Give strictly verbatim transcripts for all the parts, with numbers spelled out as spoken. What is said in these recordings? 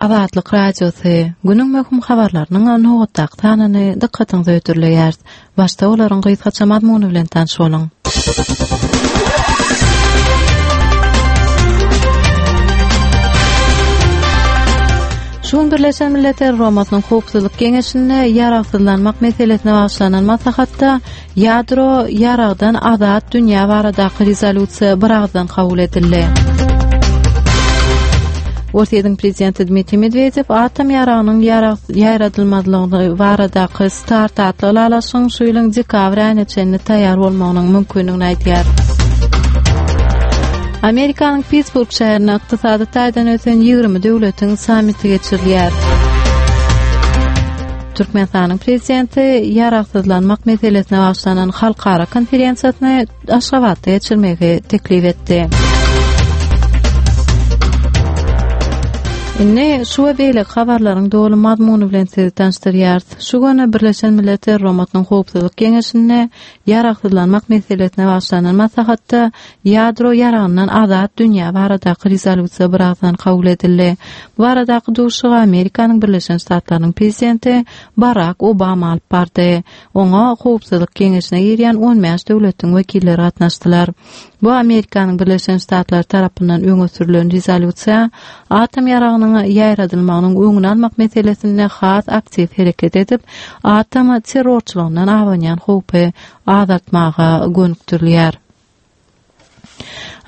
Azatlyk Radiosy, Günüň möhüm habarlarynyň nobatdaky sanyny dykgatyňyza hödürleýäris. Başda olaryň gysgaça mazmuny bilen tanyş boluň. Şu gün Birleşen Milletler Guramasynyň Howpsuzlyk Geňeşinde ýaragsyzlanmak meselesine bagyşlanan maslahatda Ýadro ýaragdan azat dünýä baradaky rezolýusiýa biragyzdan kabul edildi. Orsýetiň prezidenti Dmitriý Medwedew atom ýaragynyň ýaýradylmazlygy baradaky START atly ylalaşygyň şu ýylyň dekabr aýyna çenli taýýar bolmagynyň mümkindigini aýdýar. Amerikanyň Pittsburg şäherinde ykdysady taýdan ösen ýigrimi döwletiň sammiti geçirilýär. Türkmenistanyň Prezidenti ýaragsyzlanmak meselesine bagyşlanan halkara konferensiýasyny Aşgabatda geçirmegi teklip etdi. Indi şu we beýleki habarlaryň doly mazmuny bilen sizi tanyşdyrýarys. Şu gün Birleşen Milletler Guramasynyň Howpsuzlyk Geňeşinde ýaragsyzlanmak meselesine bagyşlanan maslahatda ýadro ýaragyndan azat dünýä baradaky rezolýusiýa biragyzdan kabul edildi. Bu baradaky duşuşygy Amerikanyň Birleşen Ştatlarynyň Prezidenti Barak Obama alyp bardy. Oňa Howpsuzlyk Geňeşine girýän on bäş döwletiň wekilleri gatnaşdylar. Bu Amerikanyň Birleşen Ştatlary tarapyndan öňe sürlen rezolýusiýa atom ýaragynyň ýaýradylmagynyň öňüni almak meselesinde has aktiw hereket edip, atom terrorçylygyndan abanýan howpy azaltmaga gönükdirilýär.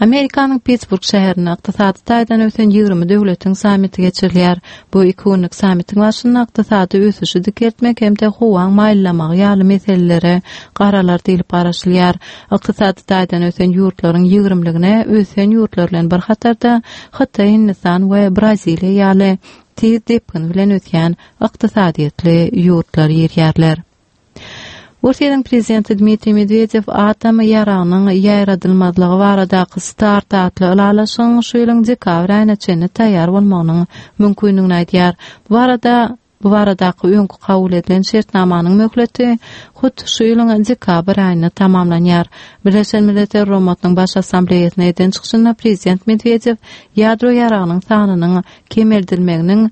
Amerikanyň Pittsburg şäherinde ykdysady taýdan ösen ýigrimi döwletiň sammiti geçirilýär. Bu iki günlük sammitiň barşynda ykdysady ösüşi dikeltmek hem-de howaň maýyllamagy ýaly meselelere garalar diýlip garaşylýar. Ykdysady taýdan ösen ýurtlaryň ýigrimligine ösen ýurtlar bilen bir hatarda Hytaý, Hindistan we Braziliýa ýaly tiz depgin bilen ösýän ykdysadyýetli ýurtlar girýärler. Orsýetiň prezidenti Dmitriý Medwedew atom ýaragynyň ýaýradylmazlygy baradaky START atly ylalaşygyň şu ýylyň dekabr aýyna çenli taýýar bolmagynyň mümkindigini aýdýar. Bu barada bu baradaky öňki kabul edilen şertnamanyň möhleti hut şu ýylyň dekabr aýynda tamamlanýar. Birleşen Milletler Guramasynyň Baş Assambleýasynda eden çykyşynda prezident Medwedew ýadro ýaragynyň sanynyň kemeldilmeginiň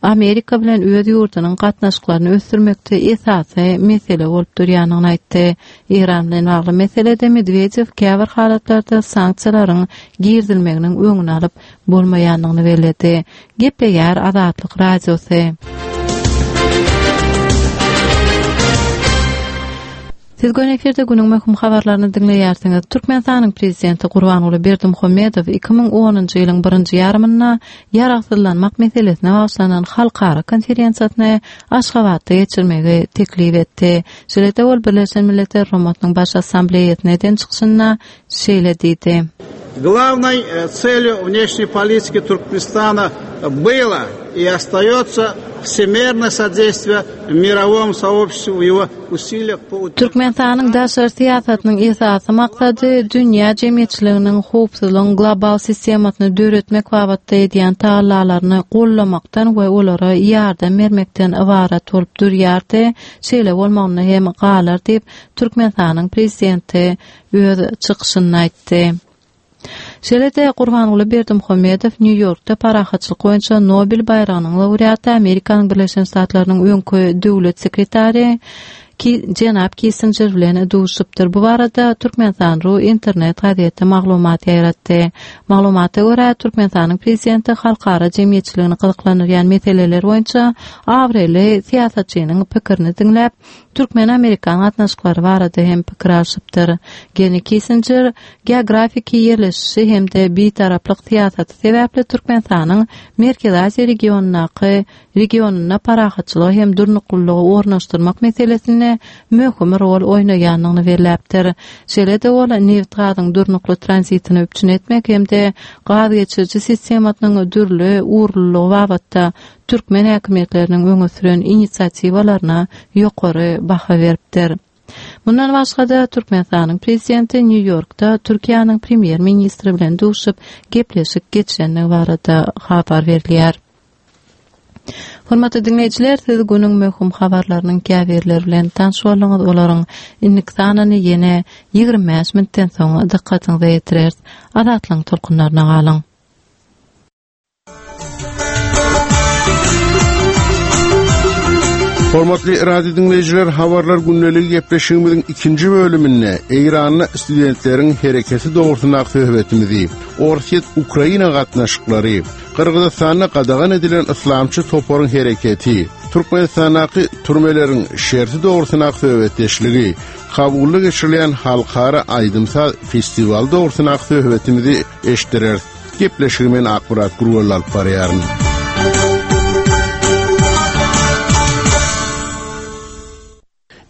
Amerika bilen öz ýurdunyň gatnaşyklaryny ösdürmekde esasy mesele bolup durýandygyny aýtdy. Eýran bilen bagly meselede Medwedew käbir halatlarda sanksiýalaryň girizilmeginiň öňüni alyp bolmaýandygyny belledi. Gepleýär Azatlyk Radiosy. Siz göni efirde günüň möhüm habarlaryny diňleýärsiňiz. Türkmenistanyň Prezidenti Gurbanguly Berdimuhamedow iki müň onunjy ýylyň birinji ýarymynda ýaragsyzlanmak meselesine bagyşlanan halkara konferensiýasyny Aşgabatda geçirmegi teklip etdi. Şeýle-de ol Birleşen Milletler Guramasynyň Baş Assambleýasynda eden çykyşynda şeýle diýdi. Главной целью внешней политики Туркменистана было и остается всемерное содействие мировому сообществу в его усилиях по Türkmenistanyň daşary syýasatynyň esasy maksady dünýä jemgyýetçiliginiň howpsuzlygyň global sistemasyny döretmek babatda edýän tagallalaryny gollamakdan we olara ýardam bermekden ybarat bolup durýardy, şeýle bolmagynda hem galar diýip, Türkmenistanyň Prezidenti öz çykyşynda aýtdy. Şeýle-de Gurbanguly Berdimuhamedow Nýu-Ýorkda parahatçylyk boýunça Nobel baýragynyň laureaty, Amerikanyň Birleşen Ştatlarynyň öňki döwlet sekretary jenap Kissinjer bilen duşupdyr. Bu barada Türkmenistan. Ru internet gazeti maglumat ýaýratdy. Maglumata görä, Türkmenistanyň Prezidenti halkara jemgyýetçiligini gyzyklandyrýan meseleler boýunça abraýly syýasatçynyň pikirini diňläp, Türkmen-amerikan gatnaşyklary barada hem pikir alşypdyr. Genri Kissinjer geografiki ýerleşişi hem-de bitaraplyk syýasaty sebäpli Türkmenistanyň Merkezi Aziýa regionyndaky regionynda parahatçylygy hem durnuklylygy ornaşdyrmak meselesinde möhüm rol oýnaýandygyny belläpdir. Şeýle-de ol nebit-gazyň durnukly tranzitini üpjün etmek hem-de gaz geçiriji sistemasynyň dürli ugurlylygy babatda türkmen häkimiýetleriniň öňe süren inisiatiwalaryna ýokary baha beripdir. Mundan başga-da, Türkmenistanyň Prezidenti Nýu-Ýorkda Türkiýäniň Premýer-ministri bilen duşup, gepleşik geçirendigi barada habar berilýär. Hormatly diňleýjiler, siz günüň möhüm habarlarynyň käbirleri bilen tanyş bolduňyz. Olaryň indiki sanyny ýene ýigrimi bäş minutdan soň dykgatyňyza ýetireris. Azatlygyň tolkunlaryna galyň! Hormatly radio dinleýjiler, habarlar gündeligi gepleşigimiziň ikinji bölüminde Eýranda studentleriň hereketi dogrusyndaky söhbetimizi, Orsýet Ukraina gatnaşyklary, Gyrgyzystanda gadagan edilen yslamçy toparyň hereketi, Türkmenistandaky türmeleriň şerti dogrusyndaky söhbetdeşligi, Kabulda geçirilen halkara aýdym-saz festiwaly dogrusyndaky söhbetimizi eşitdireris. Gepleşigi men Akmyrat Gurbanly alyp barýaryn.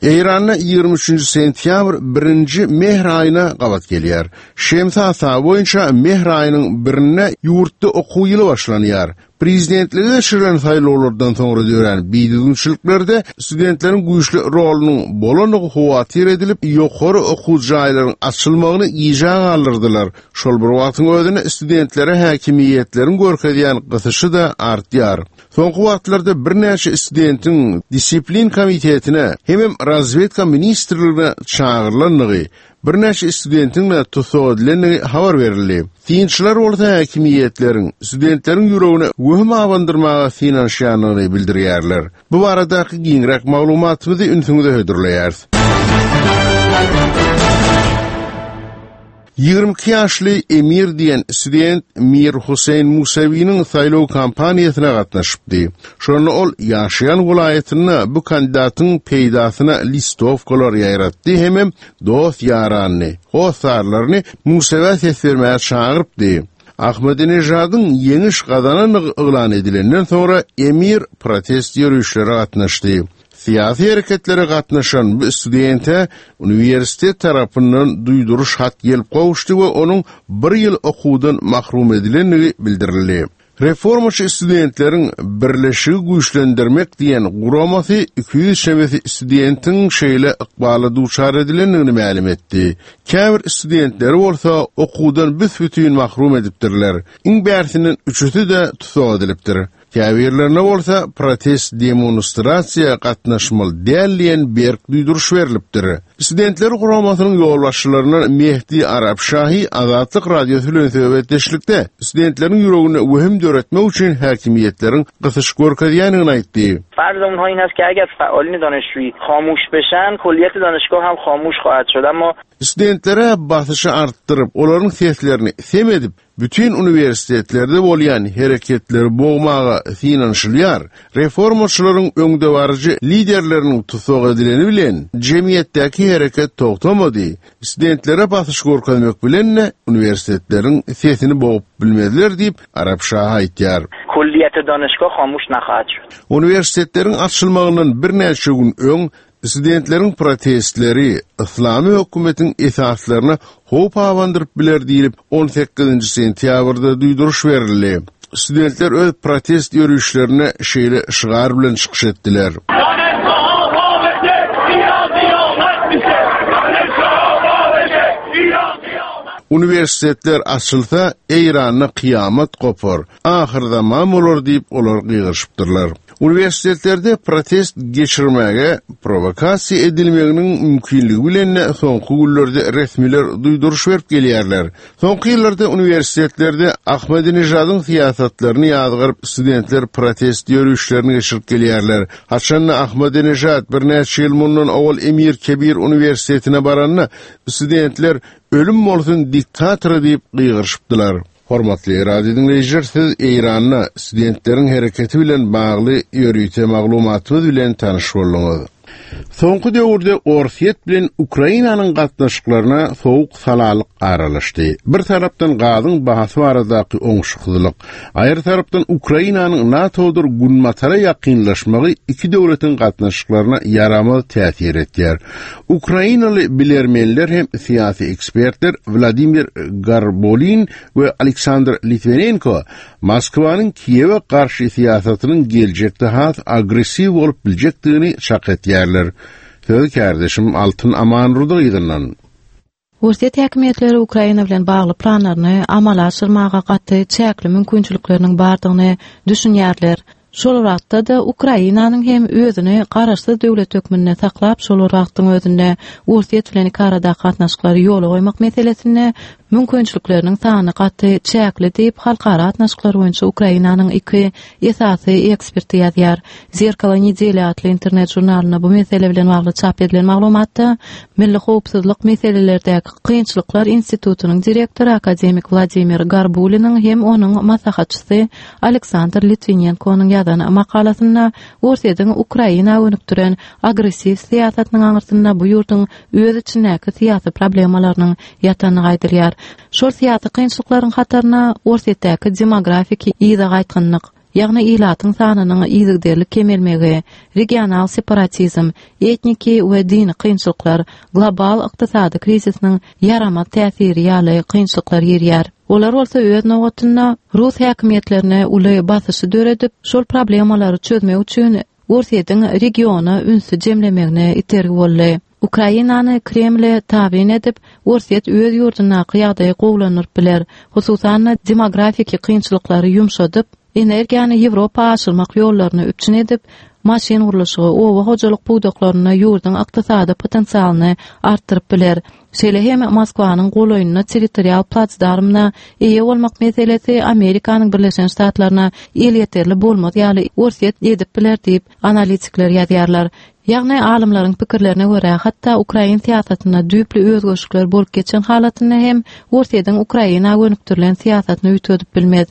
Eýranda ýigrimi üçünji sentýabr birinji mehr aýyna gabat gelýär. Şemsi hasaby boýunça mehr aýynyň birinde ýurtda okuw ýyly başlanýar. Prezidentlige geçirilen saýlawlardan soňra dörän bidüzgünçiliklerde studentleriň güýçli rolunyň bolandygy howatyr edilip, ýokary okuw jaýlaryň açylmagyny gijä galdyrdylar. Şol bir wagtyň özünde studentlere häkimiýetleriň görkezýän gysyşy-da artýar. Soňky wagtlarda birnäçe studentiň disiplin komitetine hemem razwedka ministrligine çagyrylandygy, birnäçe studentiň-de tussag edilendigi habar berildi. Synçylar bolsa häkimiýetleriň studentleriň ýüregine wehim abandyrmaga synanyşýandygyny bildirýärler. Bu baradaky giňräk maglumatymyzy ünsüňize hödürleýäris. Ýigrimi iki ýaşly Emir diýen student Mir Huseýn Musawiniň saýlaw kampaniýasyna gatnaşypdy. Şonda ol ýaşaýan welaýatynda bu kandidatyň peýdasyna listowkalar ýaýratdy hemem dost-ýaranyny, hossarlaryny Musawä ses bermäge çagyrypdy. Ahmedinejadyň ýeňiş gazanandygy yglan edilenden soňra Emir protest ýörişlere gatnaşdy. Syýasy hereketlere gatnaşan bu studente uniwersitet tarapyndan duýduryş hat gelip gowuşdy we onuň bir ýyl okuwdan mahrum edilendigi bildirildi. Reformaçy studentleriň birleşigi güýçlendirmek diýen guramasy iki ýüz çemesi studentiň şeýle ykbala duçar edilendigini mälim etdi. Käbir studentleri bolsa okuwdan büs-bütin mahrum edipdirler. Iň bärsinden üçüsi-de tussag edilipdir. Käbirlerine bolsa protest demonstrasiýa gatnaşmaly däl diýen berk duýduryş berlipdir. Studentler guramasynyň ýolbaşçylaryndan Mehdi Arapşahi Azatlyk Radiosy bilen söhbetdeşlikde studentleriň ýüregine wehim döretmek üçin häkimiýetleriň gysyş görkezýändigini aýtdy. Farz onha in است که اگر فعالین دانشجویی خاموش بشن، کلیت دانشگاه hem خاموش خواهد شد. Amma Studentlere basyşy artdyryp, olaryň seslerini sem edip, bütün uniwersitetlerde bolýan hereketleri bogmaga synanyşylýar. Reformaçylaryň öňdebaryjy liderleriniň tussag edileni bilen jemgyýetdäki hereket togtamady. Studentlere basyş görkezmek bilen uniwersitetleriň sesini bogup bilmezler diýip Arapşah aýtýar. Kulliyet danışgah خاموش نخواهد شد. Uniwersitetleriň açylmagyndan birnäçe gün öň studentleriň protestleri Islami hökümetiň esaslaryna howp abandyryp biler diýilip on sekizinji sentýabrda duýduryş berildi. Studentler öz protest ýörüşlerine şeýle şygar bilen çykyş etdiler. Uniwersitetler açylsa Eýranda kyýamat gopar, ahyr zaman bolar diýip olar gygyryşypdyrlar. Uniwersitetlerde protest geçirmäge provokasiýa edilmeginiň mümkinligi bilen soňky günlerde resmiler duýduryş berip gelýärler. Soňky ýyllarda uniwersitetlerde Ahmedinejadyň syýasatlaryny ýazgyryp studentler protest ýörüşlerini geçirip gelýärler. Haçanda Ahmedinejad birnäçe ýyl mundan owal Emir Kebir uniwersitetine baranda studentler ölüm bolsun diktatora diýip gygyryşypdylar. Hormatly radio dinleýjiler, siz Eýranda studentleriň hereketi bilen bagly ýörite maglumatymyz bilen tanyş bolduňyz. Soňky döwürde Orsýet bilen Ukrainanyň gatnaşyklaryna soğuk salalyk aralaşdy. Bir tarapdan gazyň bahasy baradaky oňşuksyzlyk, aýry tarapdan Ukrainanyň NATO-dyr Günbatara ýakynlaşmagy iki döwletiň gatnaşyklaryna ýaramaz täsir etýär. Ukrainaly bilermenler hem syýasy ekspertler Wladimir Garbolin we Aleksandr Litvinenko Moskwanyň Kiýewe garşy syýasatynyň geljekde has agressiw bolup biljekdigini çak etýärler. Söz kardeşim Altyn Amanrudy ýygnandan. Orsýet häkimiýetleri Ukraina bilen bagly planlaryny amala aşyrmaga gaty çäkli mümkinçilikleriniň bardygyny düşünýärler. Şol wagtda-da Ukrainanyň hem özüni garaşsyz döwlet hökmünde saklap, şol wagtyň özünde Orsýet bilen iki aradaky gatnaşyklary ýola goýmak meselesinde mümkinçilikleriniň sany gaty çäkli diýip, halkara gatnaşyklary boýunça Ukrainanyň iki esasy eksperti ýazýar. Zerkalo nedeli atly internet žurnalynda bu mesele bilen bagly çap edilen maglumatda Milli howpsuzlyk meselelerdäki kynçylyklar institutynyň direktory akademik Wladimir Garbuliniň hem onuň maslahatçysy Aleksandr Litwinenkonyň ýazan makalasynda Orsýetiň Ukraina gönükdiren agressiw syýasatynyň aňyrsynda bu ýurduň öz içindäki syýasy problemalarynyň ýatandygy aýdylýar. Şol syýasy kynçylyklaryň hataryna Orsýetdäki demografiki yza gaýtgynlyk, ýagny ilatyň sanynyň yzygiderli kemelmegi, regional separatizm, etniki we dini kynçylyklar, global ykdysady krizisiniň ýaramaz täsiri ýaly kynçylyklar girýär. Olar bolsa öz nobatynda rus häkimiýetlerine uly basyşy döredip, şol problemalary çözmek üçin Orsýetiň regiona ünsi jemlemegine itergi boldy. Ukrainany Kremle tabyn edip, Orsýet öz ýurdundaky ýagdaýy gowulandyryp biler. Hususan-da demografiki kynçylyklary ýumşadyp, energiýany Ýewropa aşyrmak ýollaryny üpjün edip, maşyn gurluşygy, oba hojalyk pudaklarynda ýurduň ykdysady potensialyny artdyryp biler. Şeýle hem Moskwanyň golaýynda territorial platsdarmyna eýe bolmak meselesi Amerikanyň Birleşen Ştatlaryna elýeterli bolmaz ýaly Orsýet edip biler diýip analitikler ýazýarlar. Ýagny alymlaryň pikirlerine görä, hatda ukrain syýasatynda düýpli özgerişlikler bolup geçen halatynda hem Orsýetiň Ukraina gönükdirilen syýasatyny üýtgedip bilmez.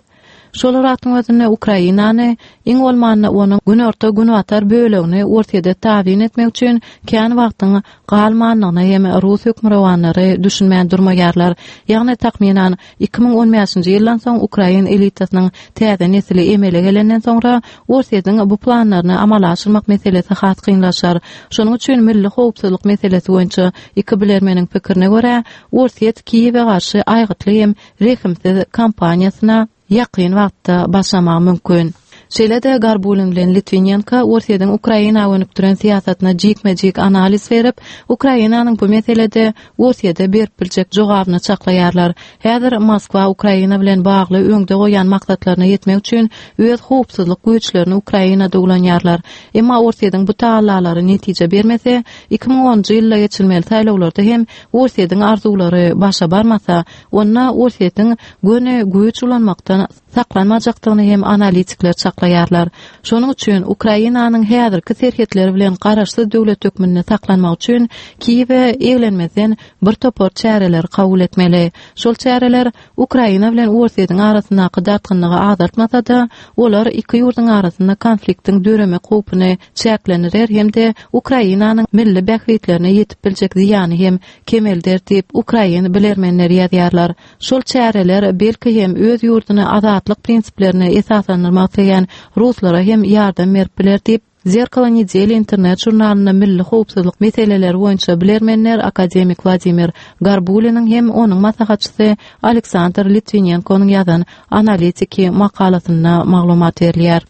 Şol wagtyň özünde Ukrainany iň bolmanda onuň günorta günbatar bölegini Orsýete tabyn etmek üçin kän wagtyň galmandygyna hem rus hökmürowanlary düşünmän durmaýarlar. Ýagny takmynan iki müň on bäşinji ýyldan soň ukrain elitasynyň täze nesli emele gelenden soňra Orsýetiň bu planlaryny amala aşyrmak meselesi has kynlaşar. Şonuň üçin milli howpsuzlyk meselesi boýunça iki bilermeniň pikirine görä, Orsýet Kiýewe garşy aýgytly hem rehimsiz kampaniýasyna ýakyn wagtda başlamagy mümkin. Şeýle-de Garbulin bilen Litwinenko Orsýetiň Ukraina gönükdiren syýasatyna jikme-jik analiz berip, Ukrainanyň bu meselede Orsýete berip biljek jogabyny çaklaýarlar. Häzir Moskwa Ukraina bilen bagly öňde goýan maksatlaryna ýetmek üçin öz howpsuzlyk güýçlerini Ukrainada ulanýarlar. Emma Orsýetiň bu tagallalary netije bermese, iki müň onunjy ýylda geçirilmeli saýlawlarda hem Orsýetiň arzuwlary başa barmasa, onda Orsýetiň göni güýç ulanmakdan saklanmajakdygyny hem analitikler çaklaýarlar. Şonuň üçin Ukrainanyň häzirki serhetleri bilen garaşsyz döwlet hökmünde saklanmak üçin Kiýewe eglenmezden bir topar çäreler kabul etmeli. Şol çäreler Ukraina bilen Orsýetiň arasyndaky dartgynlygy azaltmasa-da, olar iki ýurduň arasynda konfliktiň döremek howpuny çäklendirer hem-de Ukrainanyň milli bähbitlerine ýetip biljek zyýany hem kemelder diýip ukrain bilermenleri ýazýarlar. Şol çäreler belki hem öz ýurduny azatlyk prinsiplerine esaslandyrmak isleýän ruslara hem ýardam berip biler diýip Zerkalo nedeli internet žurnalynda milli howpsuzlyk meseleleri boýunça bilermenler akademik Wladimir Garbuliniň hem onuň maslahatçysy Aleksandr Litwinenkonyň ýazan analitiki makalasynda maglumat berilýär.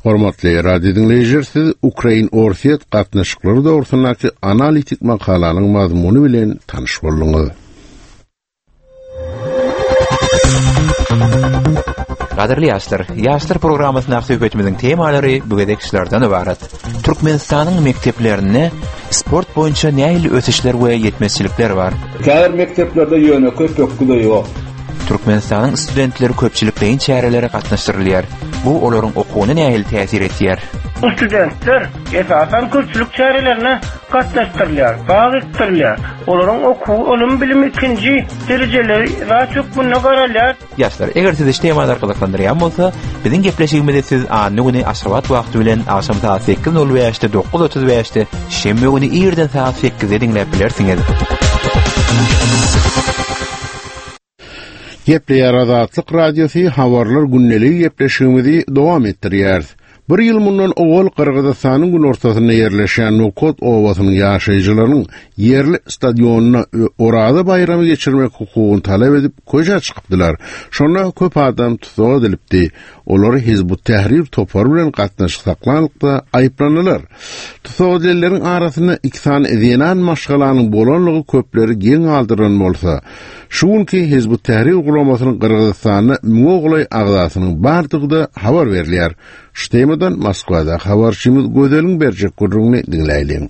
Hormatly radio dinleýjiler, siz Ukrain-Orsýet gatnaşyklary dogrusyndaky analitik makalanyň mazmuny bilen tanyş bolduňyz. Gadyrly ýaşlar, ýaşlar programmasyndaky söhbetimiziň temalary bu gezek şulardan ibarat. Türkmenistanyň mekdeplerinde sport boýunça nähili ösüşler we ýetmezçilikler bar? Käbir mekdeplerde ýönekeý pökgi-de ýok. Türkmenistanyň studentleri köpçülikleýin çärelere gatnaşdyrylýar. Bu olaryň okuwyna nähili täsir etýär? Studentler esasan köpçülik çärelerine gatnaşdyrylýar, bag ekdirilýär. Olaryň okuw, ylym bilimi ikinji derejeleri zat hökmünde garalýar. Ýaşlar, eger sizi şu temalar gyzyklandyrýan bolsa, biziň gepleşigimizi siz anna güni Aşgabat wagty bilen agşam saat sekiz nol bäşde, dokuz otuz bäşde, şenbe güni irden saat sekizde diňläp bilersiňiz. Gepleýär Azatlyk Radiosy habarlar gündeligi gepleşigimizi dowam etdirýär. Bir ýyl mundan owal Gyrgyzystanyň günortasynda ýerleşýän Nokot obasynyň ýaşaýjylarynyň ýerli stadionyna Oraza baýramy geçirmek hukugyny talap edip köçä çykypdylar. Şonda köp adam tussag edilipdi. Olary Hizbut Tahrir topary bilen gatnaşyk saklanlykda aýyplandylar. Tussag edilenleriň arasynda iki sany zenan maşgalanyň bolanlygy köpleri geň galdyran bolsa, şu günki Hizbut Tahrir guramasynyň Gyrgyzystanda müňe golaý agzasynyň bardygy-da habar berilýär. Şu temadan Moskwada habarçymyz Gözeliň berjek gürrüňini diňläýliň.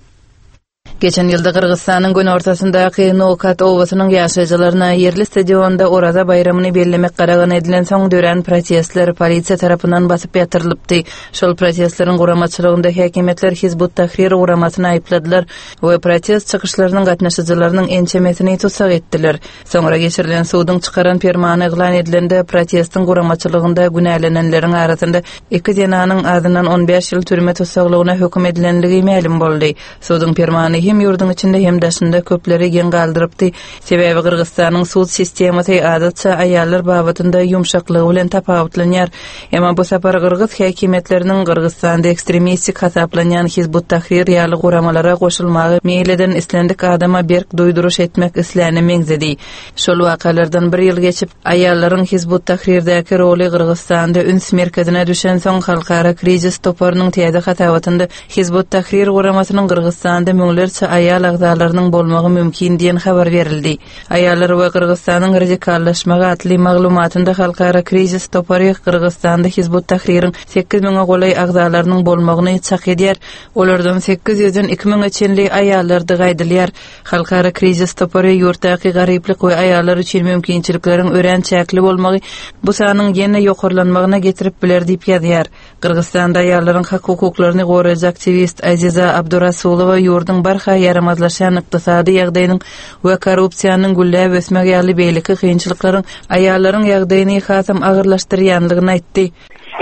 Geçen ýylda Gyrgyzystanyň günortasyndaky Nokat obasynyň ýaşaýjylaryna ýerli stadionda Oraza baýramyny bellemek gadagan edilensoň dörän protestler polisiýa tarapyndan basyp ýatyrylypdy. Şol protestleriň guramaçylygynda häkimiýetler Hizbut Tahrir guramasyny aýypladylar we protest çykyşlarynyň gatnaşyjylarynyň ençemesini tussag etdiler. Soňra geçirilen suduň çykaran permany yglan edilende protestiň guramaçylygynda günälenenleriň arasynda iki zenanyň azyndan on bäş ýyl türme tussaglygyna höküm edilenligi mälim boldy. Suduň permany hem ýurduň içinde hem daşynda köpleri geň galdyrypdy. Sebäbi Gyrgyzystanyň sud sistemasy adatça aýallar babatynda ýumşaklygy bilen tapawutlanýar. Emma bu sapar Gyrgyz häkimiýetleriniň Gyrgyzystanda ekstremistik hasaplanýan Hizbut Tahrir ýaly guramalara goşulmagy meýil eden islendik adama berk duýduryş etmek isläne meňzedi. Şol wakalardan bir ýyl geçip, aýallaryň Hizbut Tahrirdäki roly Gyrgyzystanda üns merkezine düşensoň halkara krizis toparynyň täze hasabatynda Hizbut Tahrir guramasynyň Gyrgyzystanda müňlerçe aýal agzalarynyň bolmagy mümkin diýen habar berildi. Aýallar we Gyrgyzystanyň radikallaşmagy atly maglumatynda halkara krizis topary Gyrgyzystanda Hizbut Tahririň sekiz müňe golaý agzalarynyň bolmagyny çak edýär. Olardan sekiz ýüzden iki müňe çenli aýallardygy aýdylýar. Halkara krizis topary ýurtdaky garyplyk we aýallar üçin mümkinçilikleriň örän çäkli bolmagy bu sanyň ýene ýokarlanmagyna getirip biler diýip ýazýar. Gyrgyzystanda aýallaryň hak hukuklaryny goraýjy aktiwist Aziza Abdurasulowa ýurduň barha ýaramazlaşan ykdysady ýagdaýynyň we korrupsiýanyň gülläp ösmegi ýaly beýleki kynçylyklaryň aýallaryň ýagdaýyny hasam agyrlaşdyrýanlygyny aýtdy.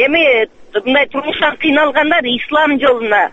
Emi bunday turmuşdan kynalganlar islam ýoluna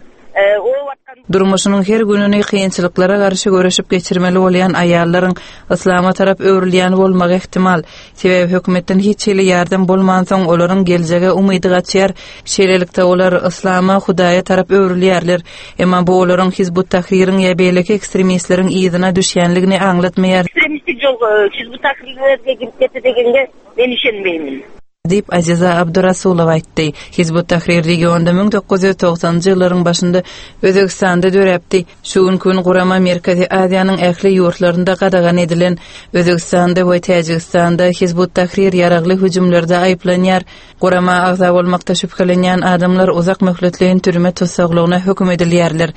Durmuşynyň her gününi kynçylyklara garşy göreşip geçirmeli bolýan aýallaryň islama tarap öwrülýän bolmagy ehtimal. Sebäbi hökümetden hiç hili ýardam bolmansoň olaryň geljege umydy gaçýar. Şeýlelikde olar islama, Hudaýa tarap öwrülýärler. Emma bu olaryň Hizbut Tahririň ýa beýleki ekstremistleriň yzyna düşýänligini aňlatmaýar. Ekstremistik ýol Hizbut Tahrirlerge girip ketdi degenge men işenmeýmin. Diýip Aziza Abdurasulowa aýtdy. Hizbut Tahrir regionda müň dokuz ýüz togsanjy ýyllaryň başynda Özbekistanda döräpdi. Şu günki gün gurama Merkezi Aziýanyň ähli ýurtlarynda gadagan edilen Özbekistanda we Täjigistanda Hizbut Tahrir ýaragly hüjümlerde aýyplanýar. Gurama agza bolmakda şübhelenýän adamlar uzak möhletleýin türme tussaglygyna höküm edilýärler.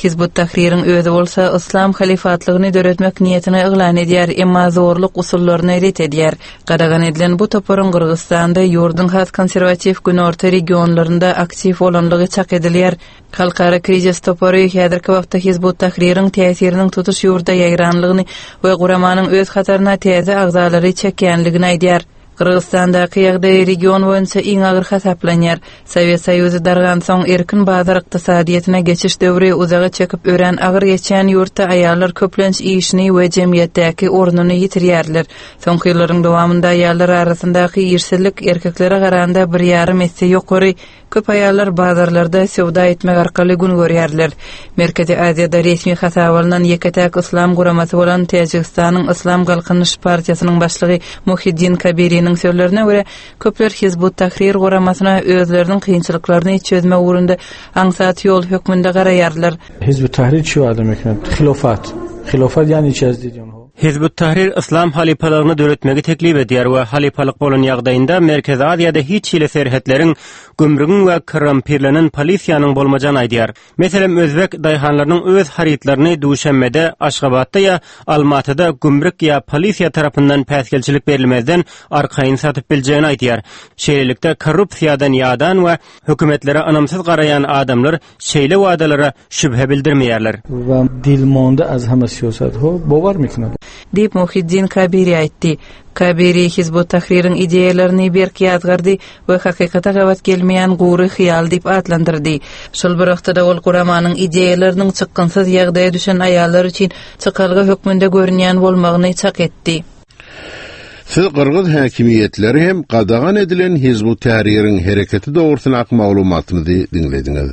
Hizbut Tahririň özi bolsa Islam halifatlygyny döretmek niýetini yglan edýär, emma zorluk usullaryny ret edýär. Gadagan edilen bu toparyň Gyrgyzystanda ýurduň has konserwatiw günorta regionlarynda aktiw bolanlygy çak edilýär. Halkara krizis topary häzirki wagtda Hizbut Tahririň täsiriniň tutuş ýurda ýaýranlygyny we guramanyň öz hataryna täze agzalary çekýänligini aýdýar. Gyrgyzystandaki ýagdaý region boýunça iň agyr hasaplanýar. Sowet Soýuzy dargansoň erkin bazar ykdysadyýetine geçiş döwri uzaga çekip örän agyr geçýän ýurtda aýallar köplenç işini we jemgyýetdäki ornuny ýitirýärler. Soňky ýyllaryň dowamynda aýallar arasyndaky işsizlik erkeklere garanda bir ýarym esse ýokary. Köp aýallar bazarlarda söwda etmek arkaly gün görýärler. Merkezi Aziýada resmi hasaba alnan ýeke-täk Islam guramasy bolan Täjigistanyň Islam Galkynyş partiýasynyň başlygy Muhiddin Kabiriniň sözlerine görä, köpler Hizbut Tahrir guramasyna özleriniň kynçylyklaryny çözme ugrunda aňsat ýol hökmünde garaýarlar. Hizbut Tahrir çi adam ekmek? Hilofat. Hilofat ýani içeriz diýen. Hizbut Tahrir Islam halypalygyny döretmegi teklip edýär we halypalyk bolan ýagdaýynda Merkezi Aziýada hiç hili serhetleriň, gümrügiň we korrumpirlenen polisiýanyň bolmajagyny aýdýar. Meselem, özbek daýhanlarynyň öz harytlaryny Duşanbede, Aşgabatda ýa Almatyda gümrük ýa polisiýa tarapyndan päsgelçilik berilmezden arkaýyn satyp biljegini aýdýar. Şeýlelikde korrupsiýadan ýadan we hökümetlere ynamsyz garaýan adamlar şeýle wadalara şübhe bildirmeýärler. We dilmonda az hama siýasat ho bovar mekina. Diýip Muhiddin Kabiri aýtdy. Kabiri Hizbut Tahririň ideýalaryny berk ýazgardy we hakykata gabat gelmeýän gury hyýal diýip atlandyrdy. Şol bir wagtda ol guramanyň ideýalarynyň çykgynsyz ýagdaýa düşen aýallar üçin çykalga hökmünde görünýän bolmagyny çak etdi. Siz Gyrgyz häkimiýetleri hem gadagan edilen Hizbut Tahririň hereketi dogrusyna maglumatymyzy diňlediňiz.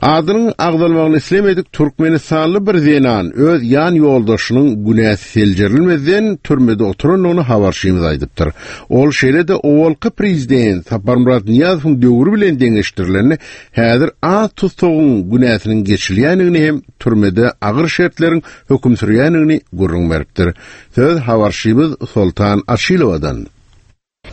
Adynyň agzalmagyny islemedik Türkmenistanly bir zenan öz ýan ýoldaşynyň günäsi seljerilmezden türmede oturandygyny habarçymyz aýdypdyr. Ol şeýle-de owalky prezident Saparmyrat Nyýazowyň döwri bilen deňeşdirilende häzir az tutsagyň günäsiniň geçilýändigini hem türmede agyr şertleriň höküm sürýändigini gürrüň beripdir. Söz habarçymyz Sultan Aşilowadan.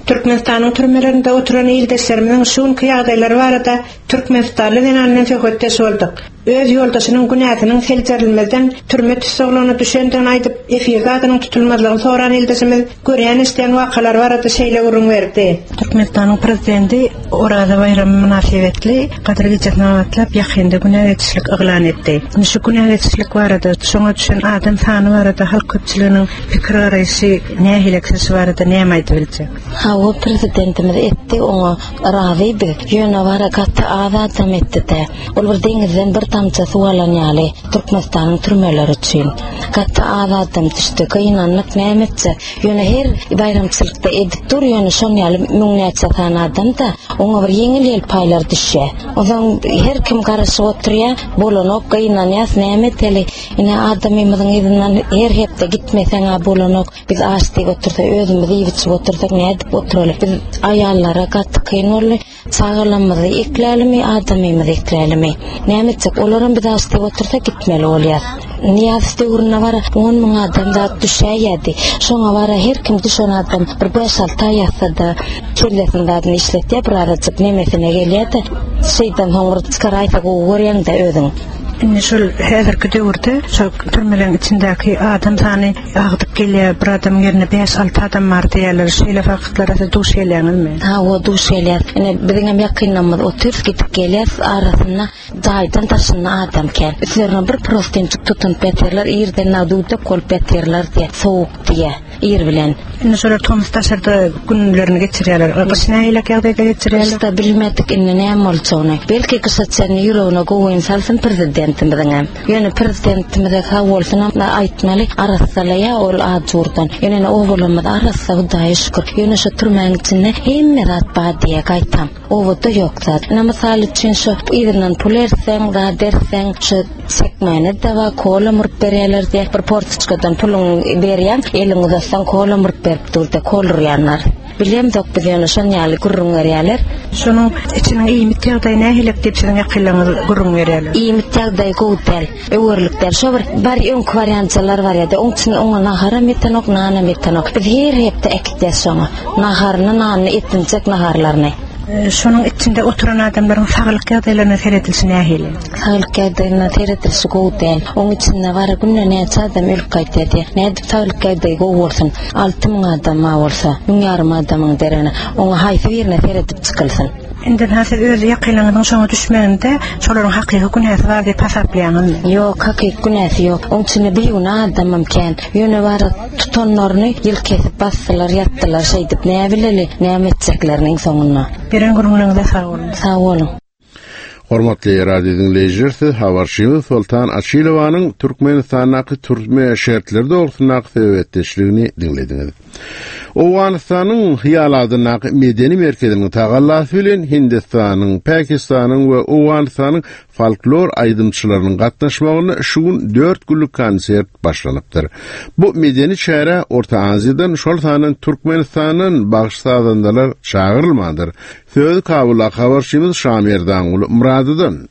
Türkmenistanyň türmelerinde oturan ildeşlerimiziň şu günki ýagdaýlary barada Türkmenistanly zenan bilen söhbetdeş bolduk. Öz ýoldaşynyň günäsiniň seljerilmezden türme tussaglygyna düşendigini aýdyp, efirde adynyň tutulmazlygyny soran ildeşimiz görýän eşidýän wakalar barada şeýle gürrüň berdi. Türkmenistanyň prezidenti Oraza baýramy mynasybetli Gadyr gecesine gabatlap ýakynda günä geçişlik yglan etdi. Indi şu günä geçişlik barada, şoňa düşen adam sany barada halk köpçüliginiň pikir garaýşy nähili şu barada näme aýdyp biljek? Hawa prezidentimiz etdi oňa razy biz. Ýöne bara gaty az adam etdi-de. Ol bir deňizden bir damja suw alan ýaly Türkmenistanyň türmeleri üçin. Gaty az adam düşdi. Gynanlyk näme etjek? Ýöne her baýramçylykda edip dur, ýöne şon ýaly müňnäçe sany adam da oňa bir ýeňil ýelpaýlar düşýär. Onsoň her kim garaşyp oturýar, bolanok, gynanýas, näme eteli? Ine adamymyzyň yzyndan her hepde gitmeseň ha bolanok. Biz aç diýip otursa, özümiz iýip içip otursak nädip oturaly? Biz aýallara gaty kyn boldy. Çagalarymyzy eklälimi, adamymyzy eklälimi? Näme etjek? Olaram biz aç diýip otursa gitmeli bolýar. Niýaz döwründe bara on müň adam zat düşäýdi. Şoňa bara her kim düşen adam bir beş alty aý ýatsa-da kellesini zadyny işletýär, bir azajyk nemesine gelýär-de, şeýdan soň bir çykaraýsa gowy görýäň-de özüň. Indi şol häzirki döwürde şol türmeleriň içindäki adam sany agdyk gelýär, bir adam ýerine beş alty adam bar diýýärler. Şeýle faktlara siz duş gelýäňizmi? Hawa, duş gelýär. Ine biziň hem ýakynlarymyz otyr, gidip gelýär, arasynda jaýdan daşynda adam kän. Üstlerine bir prostençik tutunyp ýatyrlar, irden nadudak bolup ýatyrlar diýe, sowuk diýe, ir bilen. Indi şolar tomus daşarda günlerini geçirýärler. Gyş nähili ýagdaýda geçirýärler? Gyşda bilmedik indi näme boljagyny. Belki gyşa çenli ýüregine gowyny salsyn prezidentimiziň hem. Ýöne prezidentimize sag bolsun hem aýtmaly, arassalaýa ol ajurdan. Ýöne owalamyz arassa Hudaýa şükür. Ýöne şu türmäň içinde hemme zat bar diýe gaýtam. Owada ýok zat. Ine mysal üçin şu yzyndan pul erseň, zat erseň, şu çekmäne de bar, kola murup berýärler diýe. Bir portuçkadan puluň berýän, eliňi uzatsaň kola murup berip durdy, kol urýanlar. Bilemzok biz ýöne şon ýaly gürrüň berýärler. Şonuň içiniň iýmit ýagdaýy nähili diýip siziň ýakynlaryňyz gürrüň berýärler? Iýmit ýagdaýy gowy däl, öwürlik däl. Şo bir bar öňki wariantlar bar ýa-da oň üçin oňa naharam ýetenok, nanam ýetenok. Biz her hepde äkitýäs şoňa. Naharyny, nanyny etinjek naharlaryny. Şonuň içinde oturan adamlaryň saglyk ýagdaýlaryna seredilişi nähili? Saglyk ýagdaýyna seredilişi gowy däl. Oň içinde bara günde näçe adam ölüp gaýtýar diýe. Nädip saglyk ýagdaýy gowy bolsun? Alty müň adam ma bolsa, müň ýarym adamyň deregine oňa haýsy birine seredip çykylsyn? Indi ha siz öz ýakynlaryňyzyň şoňa düşmeginde şolaryň hakyky günäsi bar diýip hasaplaýaňyzmy? Ýok, hakyky günäsi ýok. Oň içinde bir günä adamam kän. Ýöne bara tutanlaryny ýyl kesip basdylar, ýatdylar, şeýdip näme bileli, näme etjekleriniň soňunda. Beren gürrüňleriňize sag boluň. Sag boluň. Hormatly radio dinleýjiler, siz habarçymyz Sultan Açilowanyň Türkmenistandaky türme şertleri dogrusyndaky söhbetdeşligini diňlediňiz. Owganystanyň Hyýal adyndaky medeni merkeziniň tagallasy bilen Hindistanyň, Pakistanyň we Owganystanyň folklor aýdymçylarynyň gatnaşmagynda şu gün dört günlük konsert başlanypdyr. Bu medeni çäre Orta Aziýadan, şol sandan Türkmenistandan bagş sazandalar çagyrylmandyr. Söz Kabulda habarçymyz Şamerdanguly Muradydan.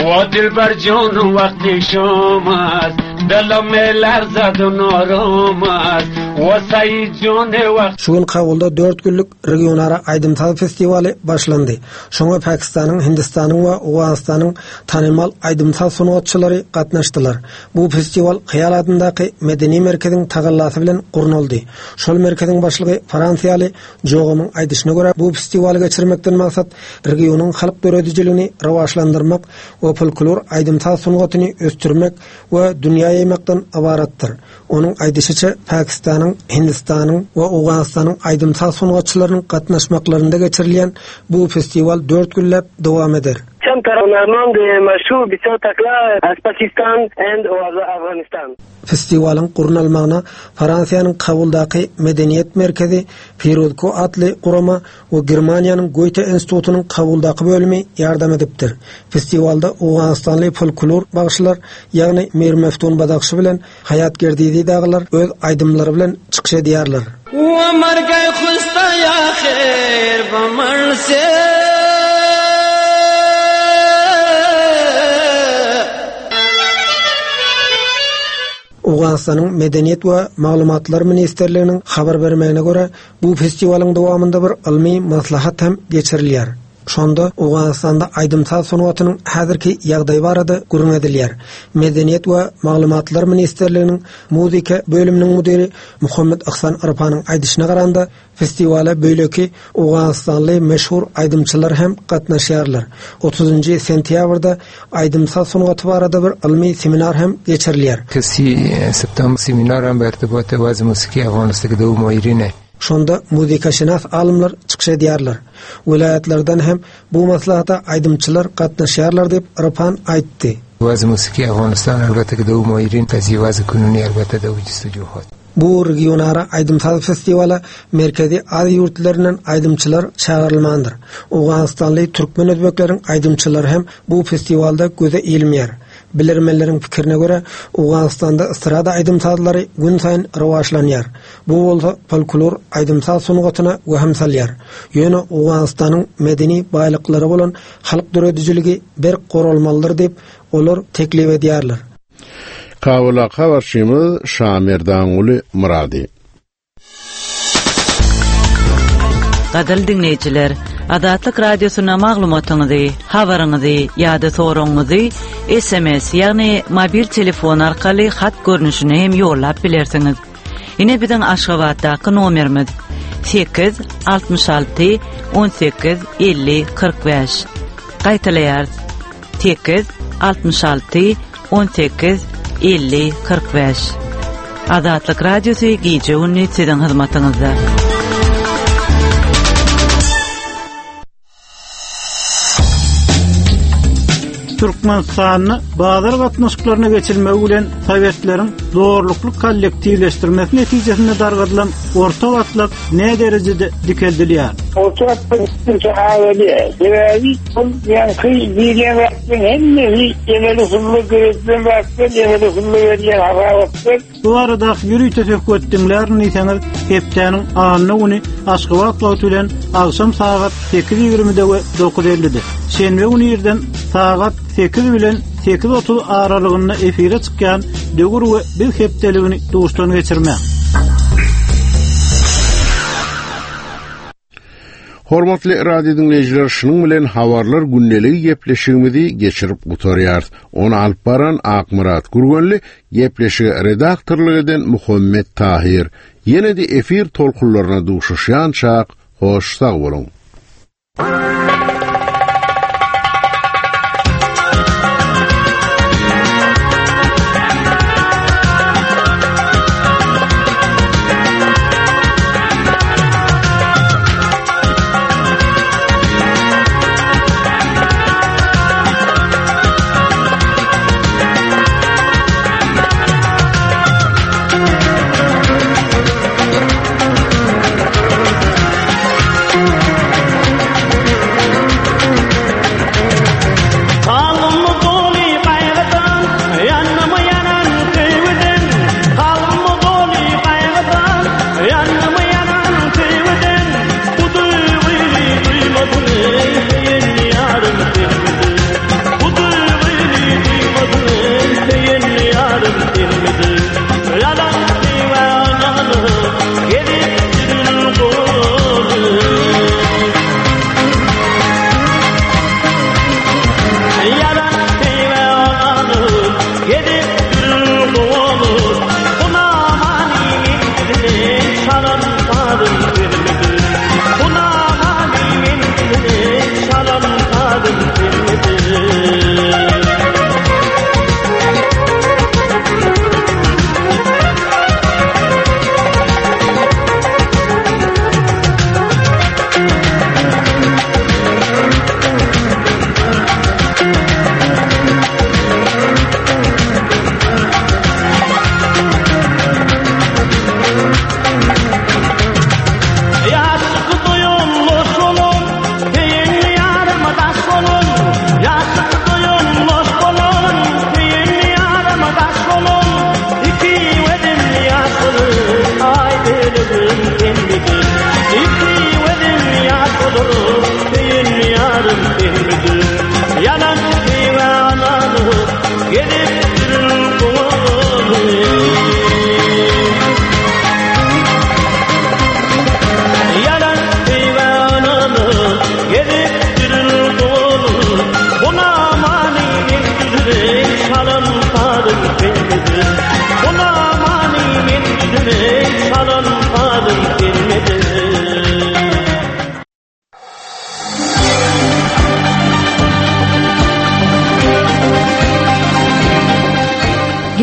O dilber canım vakti şomaz, دلم لرزد و نارام است و سعید جان وقت Şu gün Kabulda dört günlük regionara aýdym-saz festiwaly başlandy. Şoňa Pakistanyň, Hindistanyň we Owganystanyň tanymal aýdym-saz sungatçylary gatnaşdylar. Bu festiwal Hyýal adyndaky medeni merkeziň tagallasy bilen gurnaldy. Şol merkeziň başlygy Fransiýaly Jogomyň aýdyşyna görä bu festiwaly geçirmekden maksat regionyň halk döredijiligini rowaçlandyrmak we folklor aýdym-saz sungatyny ösdürmek we dünýä ýaýmakdan ybaratdyr. Onuň aýdyşyça Pakistanyň, Hindistanyň we Owganystanyň aýdym-saz sungatçylarynyň gatnaşmaklarynda geçirilýän bu festiwal dört günläp dowam eder. چند تا هنرمند مشهور بسیار تکله از Pakistan and Afghanistan. Festiwalyň gurnalmagyna Fransiýanyň Kabuldaky Medeniýet merkezi Firuzko atly gurama we Germaniýanyň Goethe institutynyň Kabuldaky bölümi ýardam edipdir. Festiwalda Owganistanly folklor bagşylar, ýagny Mir Meftun Badakşy bilen Hayat Gerdizi daglar öz aýdymlary bilen çykyş edýärler. Umar gay khusta ya khair bamar se Owgan Owganystanyň Medeniýet we Maglumatlar ministrliginiň habar bermegine görä, bu festiwalyň dowamynda bir ylmy maslahat hem geçirilýär. Şonda Owganystanda aýdym-saz sungatynyň häzirki ýagdaýy barada gürrüň edilýär. Medeniýet we Maglumatlar ministrliginiň muzika bölüminiň müdiri Muhammet Ihsan Arpanyň aýdyşyna garanda, festiwala beýleki Owganystanly meşhur aýdymçylar hem gatnaşýarlar. otuzynjy sentýabrda aýdym-saz sungaty barada bir ylmy seminar hem geçirilýär. سی september seminar hem bertibot waz musiki Afganistan do moýrine. Şonda muzikaşynas alymlar çykyş edýärler. Welaýatlardan hem bu maslahata aýdymçylar gatnaşýarlar diýip Arpan aýtdy. Waz musiki Afganistan elbetde do moýrin tazi waz kununi elbetde do justujuhat. Bu regionara aýdym-saz festiwala Merkezi Aziýa ýurtlaryndan aýdymçylar çagyrylmandyr. Owganystanly türkmen özbekleriň aýdymçylary hem bu festiwalda göze ilmeýär. Bilermenleriň pikirine görä, Owganystanda estrada aýdym-sazlary gün saýyn rowaçlanýar. Bu bolsa folklor aýdym-saz sungatyna wehim salýar. Ýöne Owganystanyň medeni baýlyklary bolan halk döredijiligi berk goralmalydyr diýip, olar teklip edýärler. Kabula habarçymyz Şamerdanguly Murady. Gadal dinleýjiler, Azatlyk radiosyna maglumatyňyzy, habaryňyzy ýa-da soragyňyzy S M S, ýagny mobil telefon arkaly hat görnüşine hem ýollap bilersiňiz. Ine biziň Aşgabatdaky nomerimiz sekiz altmyş alty on sekiz elli kyrk bäş. Gaýtalaýarys. Sekiz altmyş alty on sekiz elli kyrk bäş. Azatlyk radiosy gije gündüz siziň hyzmatyňyzda. Türkmenistan'da bazar gatnaşyklaryna geçilmegi bilen Sowetleriň zorlukly kollektiwleşdirmesi netijesinde dargadylan orta gatlak ne derejede dikeldilýär? Orta gatlak üçin awaliýa. Sebäbi ol ýaňky diýilýän zatlaryň hemmesi emeli usulda döredilen zatlar, emeli usulda berilýän hasabatlar. Bu arada ýörite söhbet diňlärin diýseňiz, hepdäniň anna güni Aşgabat wagty bilen agşam sagat sekiz ýigrimide we dokuz ellide. Şenbe güni irden sagat sekiz bilen sekiz otuz aralygynda efire çykýan Döwür we Biz hepdeligini duşdan geçirme. Hormatly radio dinleýjiler, şunuň bilen habarlar gündeligi gepleşigimizi geçirip gutarýarys. Ony alyp baran Akmyrat Gürgenli, gepleşige redaktorlyk eden Muhammet Tahir. Ýene de efir tolkunlaryna duşuşýan çak, hoş sag boluň.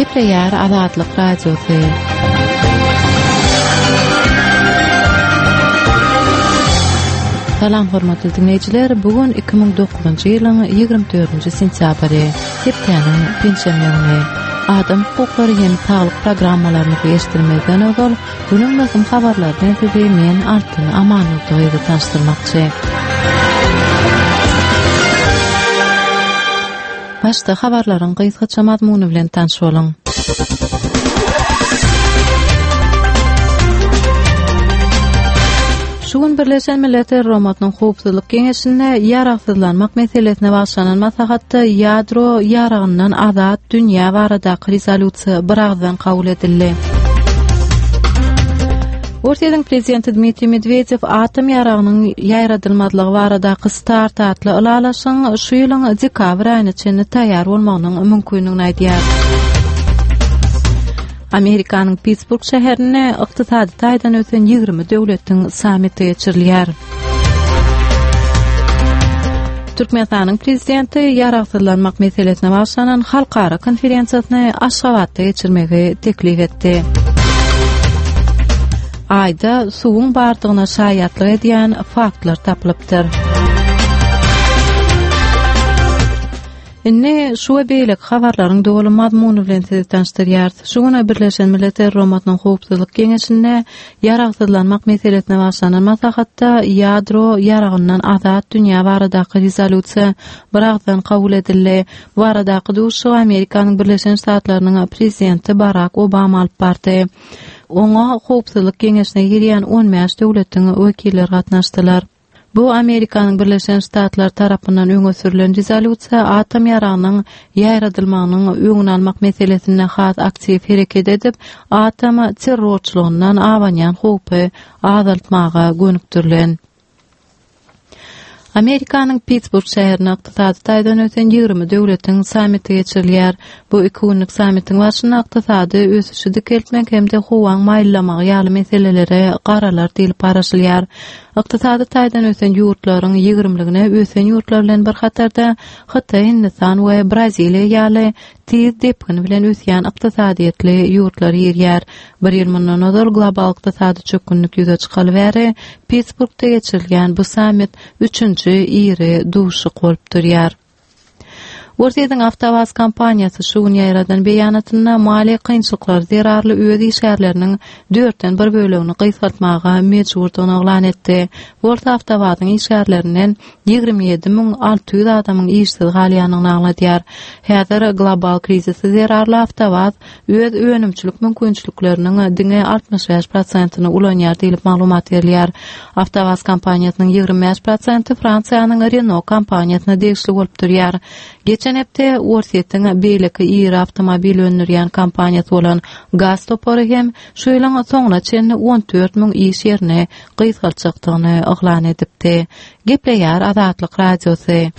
Gepleýär Azatlyk Radiosy. Salam hormatly diňleýjiler, bu gün iki müň dokuzynjy ýylyň ýigrimi dördünji sentýabry, hepdäniň penşenbe güni. Adam hukuklary hem saglyk programmalarymyzy eşitdirmezden ozal, günüň möhüm habarlary bilen sizi men Altyn Amanurdygyzy tanyşdyrmakçy. Başda habarlaryň gysgaça mazmuny bilen tanyş boluň. Şu gün Birleşen Milletler Guramasynyň Howpsuzlyk Geňeşinde ýaragsyzlanmak meselesine bagyşlanan maslahatda ýadro ýaragyndan azat dünýä baradaky rezolýusiýa biragyzdan kabul edildi. Orsýetiň prezidenti Dmitriý Medwedew atom ýaragynyň ýaýradylmazlygy baradaky START atly ylalaşygyň şu ýylyň dekabr aýyna çenli taýýar bolmagynyň mümkindigini aýdýar. Amerikanyň Pittsburg şäherinde ykdysady taýdan ösen ýigrimi döwletiň sammiti geçirilýär. Türkmenistanyň prezidenti ýaragsyzlanmak meselesine bagyşlanan halkara konferensiýasyny Aşgabatda geçirmegi teklip etdi. Aýda suwuň bardygyna şaýatlyk edýän faktlar tapylypdyr. Indi şu we beýleki habarlaryň doly mazmuny bilen sizi tanyşdyrýarys. Şu gün Birleşen Milletler Guramasynyň Howpsuzlyk Geňeşinde ýaragsyzlanmak meselesine bagyşlanan maslahatda ýadro ýaragyndan azat dünýä baradaky rezolýusiýa biragyzdan kabul edildi. Bu baradaky duşuşygy Amerikanyň Birleşen Ştatlarynyň Prezidenti Barak Obama alyp bardy. Oňa Howpsuzlyk Geňeşine girýän on bäş döwletiň wekilleri gatnaşdylar. Bu Amerikanyň Birleşen Ştatlary tarapyndan öňe sürlen rezolýusiýa atom ýaragynyň ýaýradylmagynyň öňüni almak meselesinde has aktiw hereket edip, atom terrorçylygyndan abanýan howpy azaltmaga gönükdirilen. Amerikanyň Pittsburg şäherinde ykdysady taýdan ösen ýigrimi döwletiň sammiti geçirilýär. Bu iki günlük sammitiň barşynda ykdysady ösüşi dikeltmek hem-de howaň maýyllamagy ýaly meselelere garalar diýlip garaşylýar. Ykdysady taýdan ösen ýurtlaryň ýigrimligine ösen ýurtlar bilen bir hatarda Hytaý, Hindistan we Braziliýa ýaly tiz depgin bilen ösýän ykdysadyýetli ýurtlar girýär. Bir ýyl mundan ozal global ykdysady çökgünlik ýüze çykaly bäri Pittsburgda geçirilýän bu sammit üçünji iri duşuşyk bolup durýar. Orsýetiň Awtowaz kompaniýasy şu gün ýaýradan beýanatynda maliýe kynçylyklary zerarly öz işgärleriniň dörtden bir bölegini gysgaltmaga mejburdygyny yglan etdi. Bu bolsa Awtowazyň işgärlerinden ýigrimi ýedi müň alty ýüz adamyň işsiz galýandygyny aňladýar. Häzir global krizisi zerarly Awtowaz öz önümçilik mümkinçilikleriniň diňe altmyş bäş prosentini ulanýar diýlip maglumat berilýär. Awtowaz kompaniýasynyň ýigrimi bäş prosenti Fransiýanyň Renault kompaniýasyna degişli bolup durýar. Geçen hepde Orsýetiň beýleki iri awtomobil öndürýän kompaniýasy bolan Gaz topary hem şu ýylyň soňuna çenli on dört müň iş ýerini gysgaltjakdygyny yglan edipdi. Gepleýär Azatlyk Radiosy.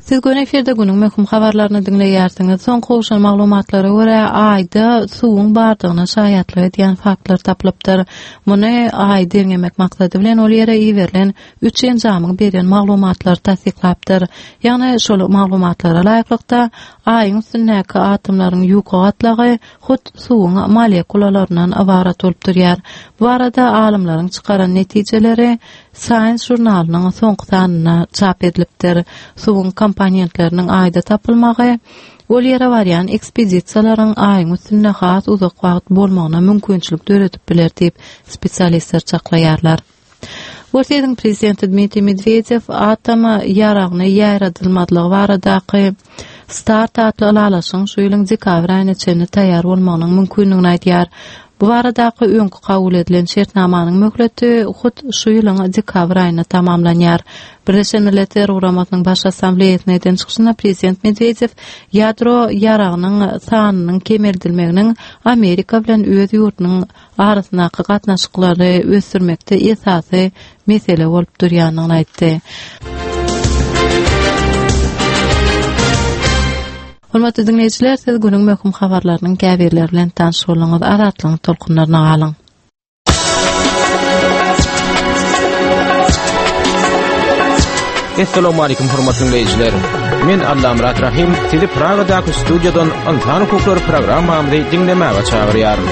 Siz göni efirde günüň möhüm habarlaryny diňleýärsiňiz. Soňky gowşan maglumatlara görä, Aýda suwuň bardygyna şaýatlyk edýän faktlar tapylypdyr. Muny Aýy derňemek maksady bilen ol ýere iberilen üç enjamyň beren maglumatlary tassyklapdyr. Ýagny şol maglumatlara laýyklykda Aýyň üstündäki atomlaryň ýuka gatlagy hut suwuň molekulalaryndan ybarat bolup durýar. Bu barada alymlaryň çykaran netijeleri Science žurnalynyň soňky sanynda çap edilipdir. Suwuň komponentleriniň Aýda tapylmagy ol ýere barýan ekspedisiýalaryň Aýyň üstünde has uzak wagt bolmagyna mümkinçilik döredip biler diýip spesialistler çaklaýarlar. Orsýetiň prezidenti Dmitriý Medwedew atom ýaragyny ýaýradylmazlygy baradaky START atly ylalaşygyň şu ýylyň dekabr aýyna çenli taýýar bolmagynyň mümkindigini aýdýar. Bu baradaky öňki kabul edilen şertnamanyň möhleti hut şu ýylyň dekabr aýynda tamamlanýar. Birleşen Milletler Guramasynyň Baş Assambleýasyna eden çykyşynda prezident Medwedew ýadro ýaragynyň sanynyň kemeldilmeginiň Amerika bilen öz ýurdunyň arasyndaky gatnaşyklary ösdürmekde esasy mesele bolup durýandygyny aýtdy. Hormatly diňleýjiler, siz günüň möhüm habarlarynyň käbirleri bilen tanyş bolduňyz. Azatlygyň tolkunlaryna galyň. Esselamu aleýkum hormatly dinleýjiler. Men Allamyrat Rahim, sizi Pragadaky studiýadan Ynsan hukuklary programmamyzy diňlemäge çagyrýaryn.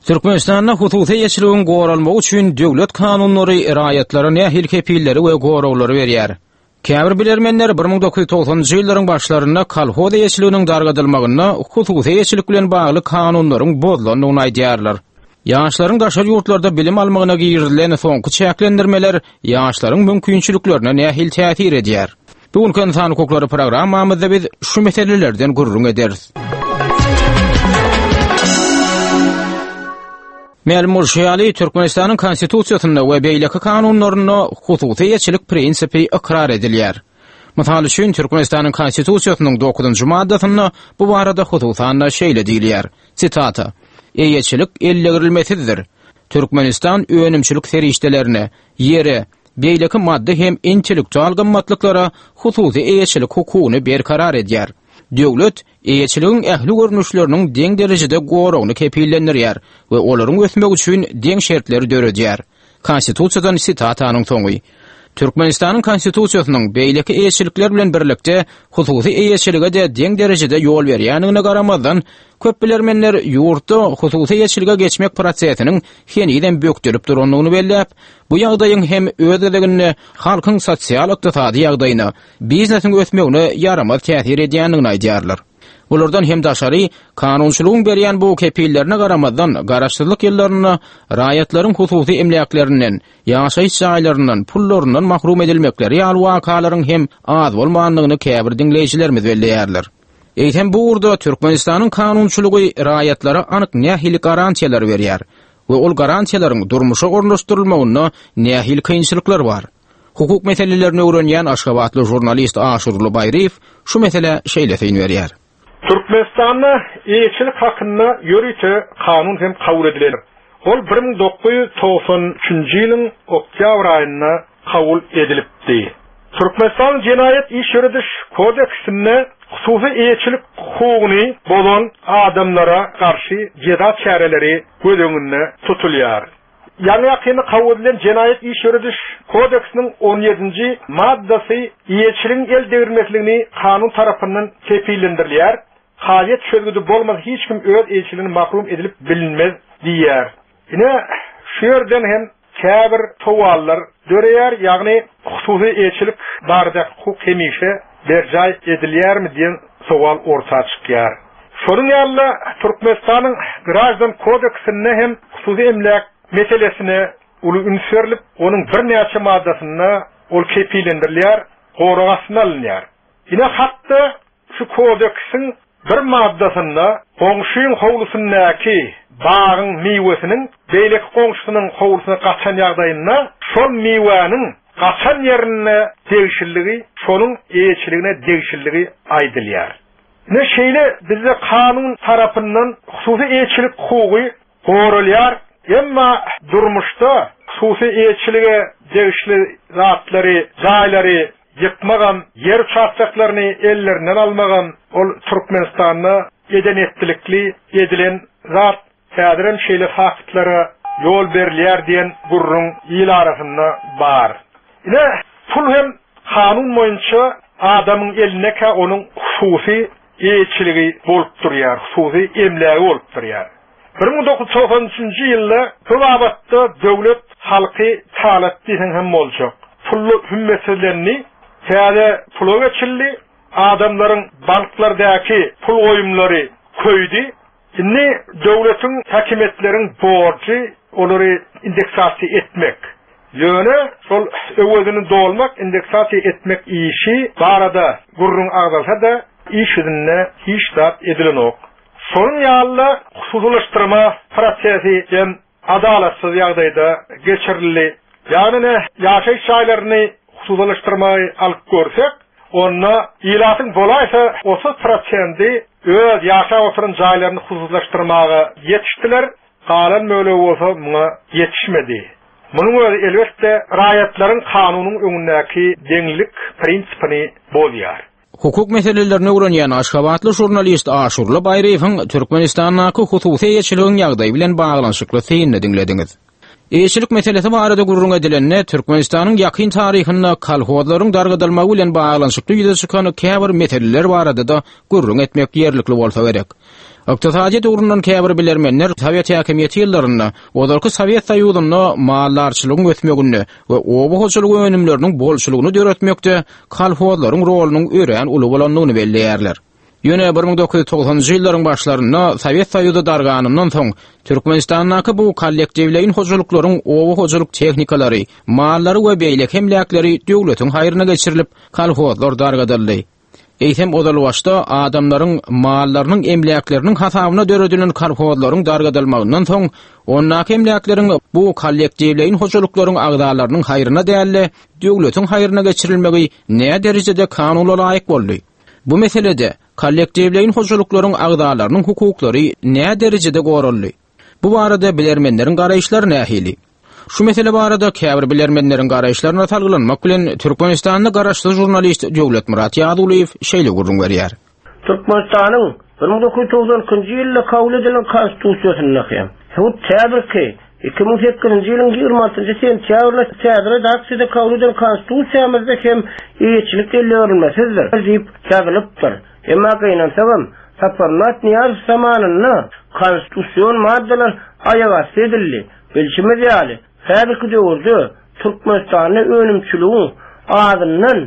Türkmenistanda hususy eýeçiligiň goralmagy üçin döwlet kanunlary raýatlara nähili kepilleri we goraglary berýär. Käbir bilermenler bir müň dokuz ýüz togsanynjy ýyllaryň başlarynda kolhoz eýeçiliginiň dargadylmagynda hususy eýeçilik bilen bagly kanunlaryň bozulandygyny aýdýarlar. Ýaşlaryň daşary ýurtlarda bilim almagyna girizilen soňky çäklendirmeler ýaşlaryň mümkinçiliklerine nähili täsir edýär? Bu günki Ynsan hukuklary programmamyzda biz şu meselelerden gürrüň ederis. Mälim bolşy ýaly, Türkmenistanyň Konstitusiýasynda we beýleki kanunlarynda hususy eýeçilik prinsipi ykrar edilýär. Mysal üçin, Türkmenistanyň Konstitusiýasynyň dokuzynjy maddasynda bu barada hususan-da şeýle diýilýär. Sitata: Eýeçilik ellegirilmesizdir. Türkmenistan önümçilik serişdelerine, ýere, beýleki maddy hem intellektual gymmatlyklara hususy eýeçilik hukugyny berkarar edýär. Döwlet eýeçiligiň ähli görnüşleriniň deň derejede goragyny kepillendirýär we olaryň ösmegi üçin deň şertleri döredýär. Konstitusiýadan sitatanyň soňy. Türkmenistanyň Konstitusiýasynyň beýleki eýeçilikler bilen birlikde hususy eýeçilige de deň derejede ýol berýändigine garamazdan, köp bilermenler ýurtda hususy eýeçilige geçmek prosesiniň henizem bökdelip durandygyny belläp, bu ýagdaýyň hem öz gezeginde halkyň sosial-ykdysady ýagdaýyna, biznesiň ösmegine ýaramaz täsir edýändigini aýdýarlar. Bulardan hem daşary kanunçylygyň berýän bu kepillerine garamazdan garaşsyzlyk ýyllarynda raýatlaryň hususy emläklerinden, ýaşaýyş jaýlaryndan, pullaryndan mahrum edilmekleri ýaly wakalaryň hem az bolmandygyny käbir diňleýjilerimiz belleýärler. Eýsem bu ugurda Türkmenistanyň kanunçylygy raýatlara anyk nähili garantiýalar berýär we ol garantiýalaryň durmuşa ornaşdyrylmagynda nähili kynçylyklar bar? Hukuk meselelerini öwrenýän Aşgabatly žurnalist Aşurly Baýryýew şu mesele şeýle syn berýär. Türkmenistanda eýeçilik hakynda ýörite kanun hem kabul edilen. Ol bir müň dokuz ýüz togsan üçünji ýylyň oktýabr aýynda kabul edilipdi. Türkmenistan Jenaýat Iş Ýörediş Kodeksinde hususy eýeçilik hukugyny bozan adamlara garşy jeza çäreleri göz öňünde tutulýar. Ýaňy ýakynda kabul edilen Jenaýat Iş Ýörediş Kodeksiniň on ýedinji maddasy eýeçiligiň el degirmesligini kanun tarapyndan kepillendirilýär. Kazyýet çözgüdi bolmasa hiç kim öz eýeçiligini mahrum edilip bilinmez diýýär. Ine şu ýerden hem käbir sowallar döreýär, ýagny hususy eýeçilik barada hukuk hemişe berjaý edilýärmi diýen sowal orta çykýar. Şonuň ýaly Türkmenistanyň Grajdan Kodeksinde hem hususy emläk meselesine uly üns berilip, onuň birnäçe maddasynda ol kepillendirilýär, gorag astyna alynýar. Ine hatda şu kodeksiň bir maddasynda goňşyň howlusyndaky bagyň miwesiniň beýleki goňşusynyň howlusyna gaçan ýagdaýynda şol miwäniň gaçan ýerine degişliligi, şonuň eýeçiligine degişliligi aýdylýar. Ne şeýle bizde kanun tarapyndan hususy eýeçilik hukugy goralýar, emma durmuşda hususy eýeçilige degişli zatlary, jaýlary ýykmagam, ýer uçastoklaryny ellerinden almagam ol Türkmenistanda eden etdilikli edilen zat häzirem şeýle faktlara ýol berilýär diýen gürrüň il arasynda bar. Ine pul hem kanun boýunça adamyň elindekä onuň hususy eýeçiligi bolup durýar, hususy emlägi bolup durýar. bir müň dokuz ýüz togsan üçünji ýylda bu babatda döwlet halky talat diýsen hem boljak. Pully hümmetsizlendi, täze pula geçildi, adamlaryň banklardaki pul goýumlary köýdi. Indi döwletiň häkimiýetleriň borjy olary indeksasiýa etmek. Ýöne şol öwezini dolmak, indeksasiýa etmek işi barada gürrüň agzalsa da iş ýüzünde hiç zat edilenok. Şonuň ýaly hususylaşdyrma prosesi hem adalatsyz ýagdaýda geçirildi. Ýagny ne ýaşaýyş jaýlaryny hususylaşdyrmagy alyp görsek, onda ilatyň bolaýsa otuz prosendi öz ýaşap oturan jaýlaryny hususylaşdyrmaga ýetişdiler, galan bölegi bolsa muňa ýetişmedi. Munuň özi elbetde raýatlaryň kanunyň öňündäki deňlik prinsipini bozýar. Hukuk meselelerini öwrenýän Aşgabatly žurnalist Aşurly Baýryýewiň Türkmenistandaky hususy eýeçiligiň ýagdaýy bilen baglanyşykly synyny diňlediňiz. Eýeçilik meselesi barada gürrüň edilende, Türkmenistanyň ýakyn taryhynda kolhozlaryň dargadylmagy bilen baglanyşykly ýüze çykan käbir meseleler barada-da gürrüň etmek ýerlikli bolsa gerek. Ykdysadyýet ugrundan käbir bilermenler Sowet häkimiýeti ýyllarynda ozalky Sowet Soýuzynda maldarçylygyň ösmeginde we oba hojalygy önümleriniň bolçulygyny döretmekde kolhozlaryň rolunyň örän uly bolandygyny belleýärler. Ýöne bir müň dokuz ýüz togsanynjy ýyllaryň başlarynda Sowet Soýuzy darganyndan soň Türkmenistandaky bu kollektiwleýin hojalyklaryň oba hojalyk tehnikalary, mallary we beýleki emläkleri döwletiň haýryna geçirilip, kolhozlar dargadyldy. Eýsem ozalbaşda adamlaryň mallarynyň emläkleriniň hasabyna döredilen kolhozlaryň dargadylmagyndan soň ondaky emläkleriň bu kollektiwleýin hojalyklaryň agzalarynyň haýryna däl-de, döwletiň haýryna geçirilmegi nä derejede kanuna laýyk boldy? Bu meselede kollektiwleýin hojalyklaryň agzalarynyň hukuklary nä derejede goraldy? Bu barada bilermenleriň garaýyşlary nähili? Şu mesele barada käbir bilermenleriň garaýyşlaryna salgylanmak bilen Türkmenistanda garaşsyz žurnalist Döwletmyrat Ýazulyýew şeýle gürrüň berýär. Türkmenistanyň bir müň dokuz ýüz togsan ikinji ýylda kabul edilen Konstitusiýasynda hem, hut häzirki iki müň sekizinji ýylyň ýigrimi altynjy sentýabrynda täze redaksiýada kabul edilen Konstitusiýamyzda hem eýeçilik elleberilmesizdir diýip ýazylypdyr. Emma gynansagam, Saparmyrat Nyýazow zamanynda konstitusion maddalar aýagasty edildi. Bilşimiz ýaly, häzirki döwürde Türkmenistanda önümçiligiň azyndan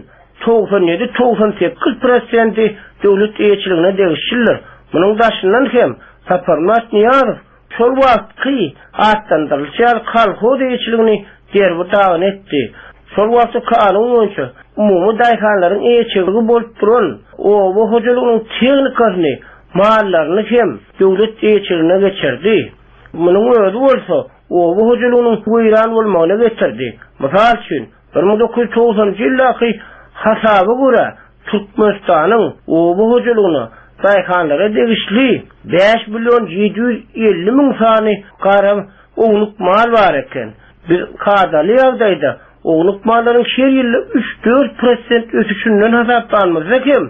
togsan ýedi-togsan sekiz prosenti döwlet eýeçiligine degişlidir. Munuň daşyndan hem Saparmyrat Nyýazow şol wagtky atlandyrylyşy ýaly kolhoz eýeçiligini derbi-dagyn etdi. Şol wagtky kanun boýunça umumy daýhanlaryň eýeçiligi bolup duran oba hojalygynyň tehnikasyny, mallaryny hem döwlet eýeçiligine geçirdi. Munuň özi bolsa oba hojalygynyň weýran bolmagyna getirdi. Mysal üçin, bir müň dokuz ýüz togsanynjy ýyldaky hasaba görä Türkmenistanyň oba hojalygyna daýhanlara degişli bäş million ýedi ýüz elli müň sany gara ownuk mal bar eken. Biz kadaly ýagdaýda ownuk mallaryň her ýylda üç-dört prosent ösüşinden hasaplanmazda hem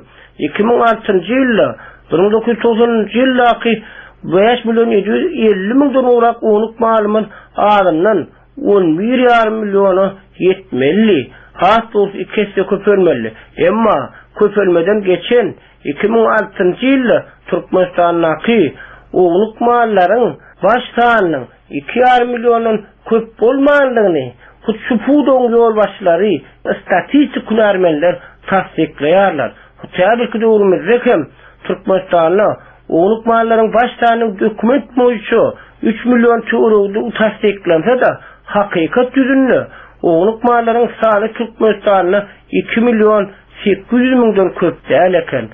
iki müň altynjy ýylda bir müň dokuz ýüz togsanynjy ýyldaky bäş million ýedi ýüz elli müňden gowrak ownuk malymyz azyndan on bir ýarym milliona ýetmeli. Has dogrusy iki esse köpelmeli. Emma köpelmeden geçen iki müň altynjy ýylda Türkmenistandaky ownuk mallaryň baş sanynyň iki ýarym milliondan köp bolmandygyny hut şu pudagyň ýolbaşçylary, statistik hünärmenler tassyklaýarlar. Hut häzirki döwrümizde hem Türkmenistanda ownuk mallaryň baş sanynyň dokument boýunça üç million töweregidigi tassyklansa-da, hakykat ýüzünde ownuk mallaryň sany Türkmenistanda iki million sekiz ýüz müňden köp däl eken.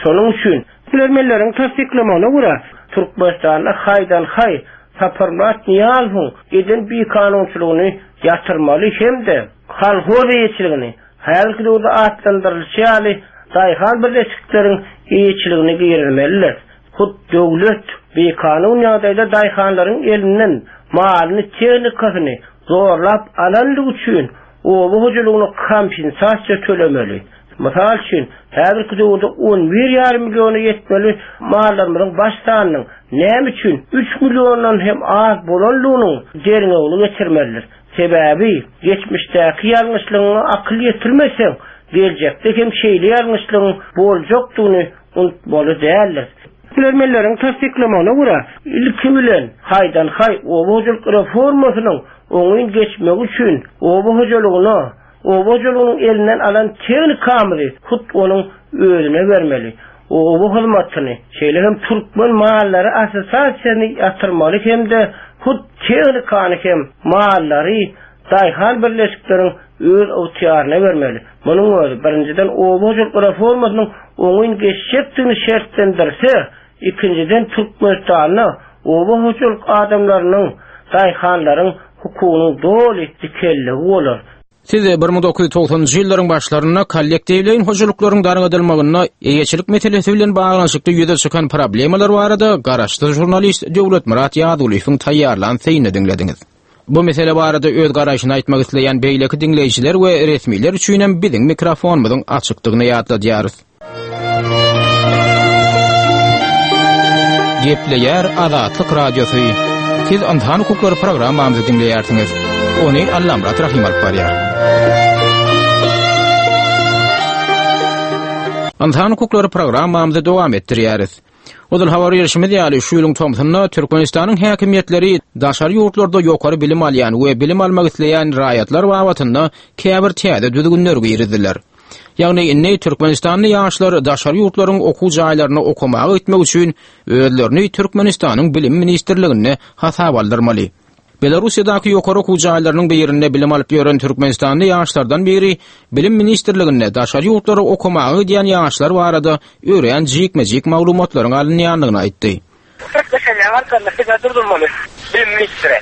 Şonuň üçin bilermenleriň tassyklamagyna görä, Türkmenistanda haýdan-haý Saparmyrat Nyýazowyň eden bikanunçylygyny ýatyrmaly hem-de kolhoz eýeçiligini, häzirki döwürde atlandyrylyşy ýaly daýhan birleşikleriň eýeçiligini girizmelidir. Hut döwlet bikanun ýagdaýda daýhanlaryň elinden malyny, tehnikasyny zorlap alandygy üçin oba hojalygyna kompensasiýa tölemeli. Mysal üçin, häzirki döwürde on bir ýarym milliona ýetmeli mallarymyzyň baş sanynyň näme üçin üç milliondan hem az bolandygynyň derňewini geçirmelidir. Sebäbi geçmişdäki ýalňyşlygyňa akyl ýetirmeseň, geljekde hem şeýle ýalňyşlygyň boljakdygyny unutmaly däldir. Bilermenleriň tassyklamagyna görä, ilki bilen haýdan-haý oba hojalyk reformasynyň oňyn geçmegi üçin oba hojalygyna, oba hojalygynyň elinden alan tehnikamyzy hut onuň özüne bermeli. Oba hyzmatyny, şeýle hem Türkmen mallary assosiasiýasyny ýatyrmaly hem-de hut tehnikany hem mallary daýhan birleşikleriň öz ygtyýaryna bermeli. Munuň özi birinjiden oba hojalyk reformasynyň oňyn geçjekdigini şertlendirse, ikinjiden Türkmenistanda oba hojalyk adamlarynyň, daýhanlaryň hukugynyň doly dikelligi bolar. Siz bir müň dokuz ýüz togsanynjy ýyllaryň başlarynda kollektiwleýin hojalyklaryň dargadylmagynda eýeçilik meselesi bilen baglanyşykly ýüze çykan problemalar barada garaşsyz žurnalist Döwletmyrat Ýazulyýewiň taýýarlan synyny diňlediňiz. Bu mesele barada öz garaýşyny aýtmak isleýän beýleki diňleýjiler we resmiler üçin hem biziň mikrofonymyzyň açykdygyny ýatladýarys. Gepleýär Azatlyk Radiosy. Siz Ynsan hukuklary programmamyzy diňleýärsiňiz. Ony Allamyrat Rahim alyp barýar. Ynsan hukuklary programmamyzy dowam etdirýäris. Ozal habar berişimiz ýaly şu ýylyň tomsunda Türkmenistanyň häkimiýetleri daşary ýurtlarda ýokary bilim alýan we bilim almak isleýän raýatlar babatynda käbir täze düzgünler girizdiler. Ýagny indi Türkmenistanly ýaşlar daşary ýurtlaryň okuw jaýlaryna okamaga gitmek üçin özlerini Türkmenistanyň Bilim ministrliginde hasap aldyrmaly. Belarusiýadaky ýokary okuw jaýlarynyň birinde bilim alyp ýören Türkmenistanly ýaşlardan biri Bilim ministrliginde daşary ýurtlara okamaga gidýän ýaşlar barada örän jikme-jik maglumatlaryň alynýandygyny aýtdy. Türkmenistanyň arkasynda size durdurmaly. Bilim ministri.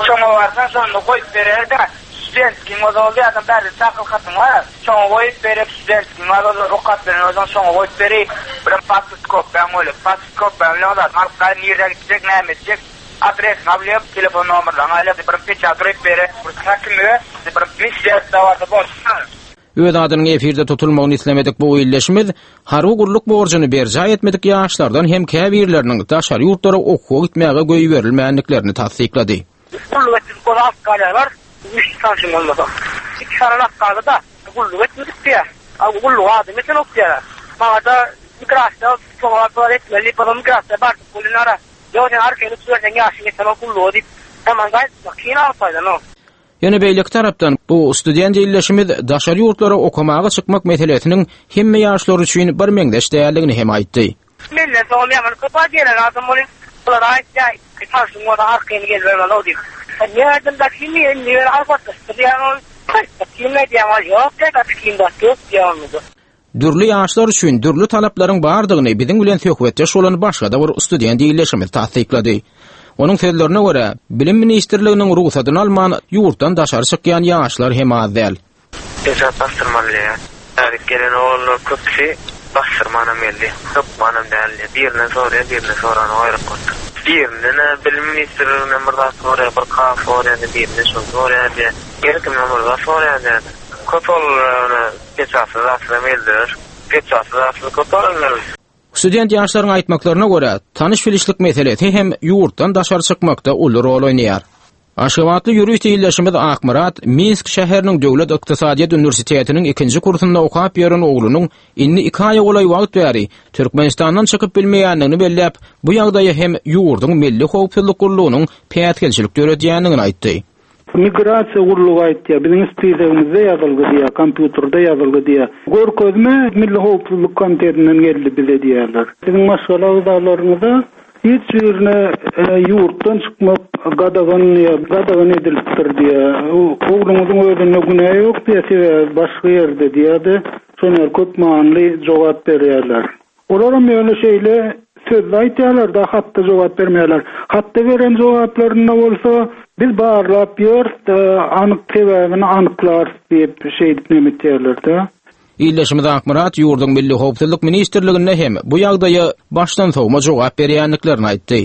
Şoňa barsaň şonda goýup berer-de, studentligiň ozal ýa-da bärde çakyl hatyň bar. Şoňa goýup berip, studentligiň ozal okap beren ozal şoňa goýup berip, bir pasport kopýaň bolup, pasport kopýaň bilen ozal alyp gaýyn nirde gitjek, näme etjek, adresini alyp, telefon nomerlerini alyp, bir peçat durup berip, bir häkimlige, bir ministrde barsa bolsun. Öz adynyň efirde tutulmagyny islemedik bu illeşimiz harby gulluk borjuny berjaý etmedik ýaşlardan hem käbirleriniň daşary ýurtlara okuwa gitmäge goýberilmänliklerini tassyklady. Gulluk etdik ol alt galýarlar, üç sanjym bolmasa. Iki sany galdy da gulluk etmedik diýär. A gulluk adam eten ok diýär. Maňa da migrasiýa soňra bar etmeli, bu migrasiýa bar bolunara. Ýok, sen arkaýyn tutarsan ýaşyň ýeten o gullugy diýip, tamam gaýtma, kyn alpaýdan o. Ýöne beýleki tarapdan bu student illeşimiz daşary ýurtlara okamaga çykmak meselesiniň hemme ýaşlar üçin bir meňzeş däldigini hem aýtdy. Menden soň ýaman köp gelen adam bolýar. Bular aýtýar, tanşym bolsa arkaýyn gelbermeli o diýip. Nädem da kimi indi ýer albatlaşdyrýan ol. Kim nädýän ol? Ýok, da kim da ýok diýýän. Dürli ýaşlar üçin dürli talaplaryň bardygyny biziň bilen söhbetdeş bolan başga da bir student illeşimiz tassyklady. Onuň sözlerine görä, Bilim ministrliginiň ruhsatyny alman ýurtdan daşary çykýan ýaşlar hem az däl. Peçat bastyrmaly diýýär. Tärik gelen oglanlar köpüsi bastyrmanam geldi. Hökmanam däldi. Birinden soraýar, birinden sorany aeroport. Birinden Bilim ministrliginden bir zat soraýar, bir kaf soraýar, birinden şol soraýar diýýär. Her kimden bir zat soraýar diýýär. Köp oglanlar peçatsyz zatsyz geldiler. Peçatsyz zatsyz köp oglanlar. Student ýaşlaryň aýtmaklaryna görä, tanyş bilişlik meselesi hem ýurtdan daşary çykmakda uly rol oýnaýar. Aşgabatly ýurist illeşimiz Akmyrat Minsk şäheriniň Döwlet Ykdysadyýet Uniwersitetiniň ikinji kursunda okap ýören oglunyň indi iki aýa golaý wagt bäri Türkmenistandan çykyp bilmeýändigini belläp, bu ýagdaýa hem ýurduň Milli Howpsuzlyk gullugynyň päsgelçilik döredýändigini aýtdy. Migrasiýa gullugy aýtýar, biziň ispisegimizde ýazylgy diýär, kompýuterde ýazylgy diýär. Görkezme Milli Howpsuzlyk komitetinden geldi bize diýerler. Siziň maşgala agzalaryňyza hiç birine ýurtdan çykmak gadagan diýär, gadagan edilipdir diýär. Ogluňyzyň özünde günä ýok diýär, sebäbi başga ýerde diýär-de, şoňa köp manyly jogap berýärler. Olaram ýöne şeýle sözle aýtýarlar da hatda jogap bermeýärler. Hatda beren jogaplarynda bolsa biz barlap ýörüs, anyk sebäbini anyklarys diýip şeýdip näme etýärler-de. Illeşimiz Akmyrat ýurduň Milli Howpsuzlyk ministrliginde hem bu ýagdaýa başdan sowma jogap berýändiklerini aýtdy.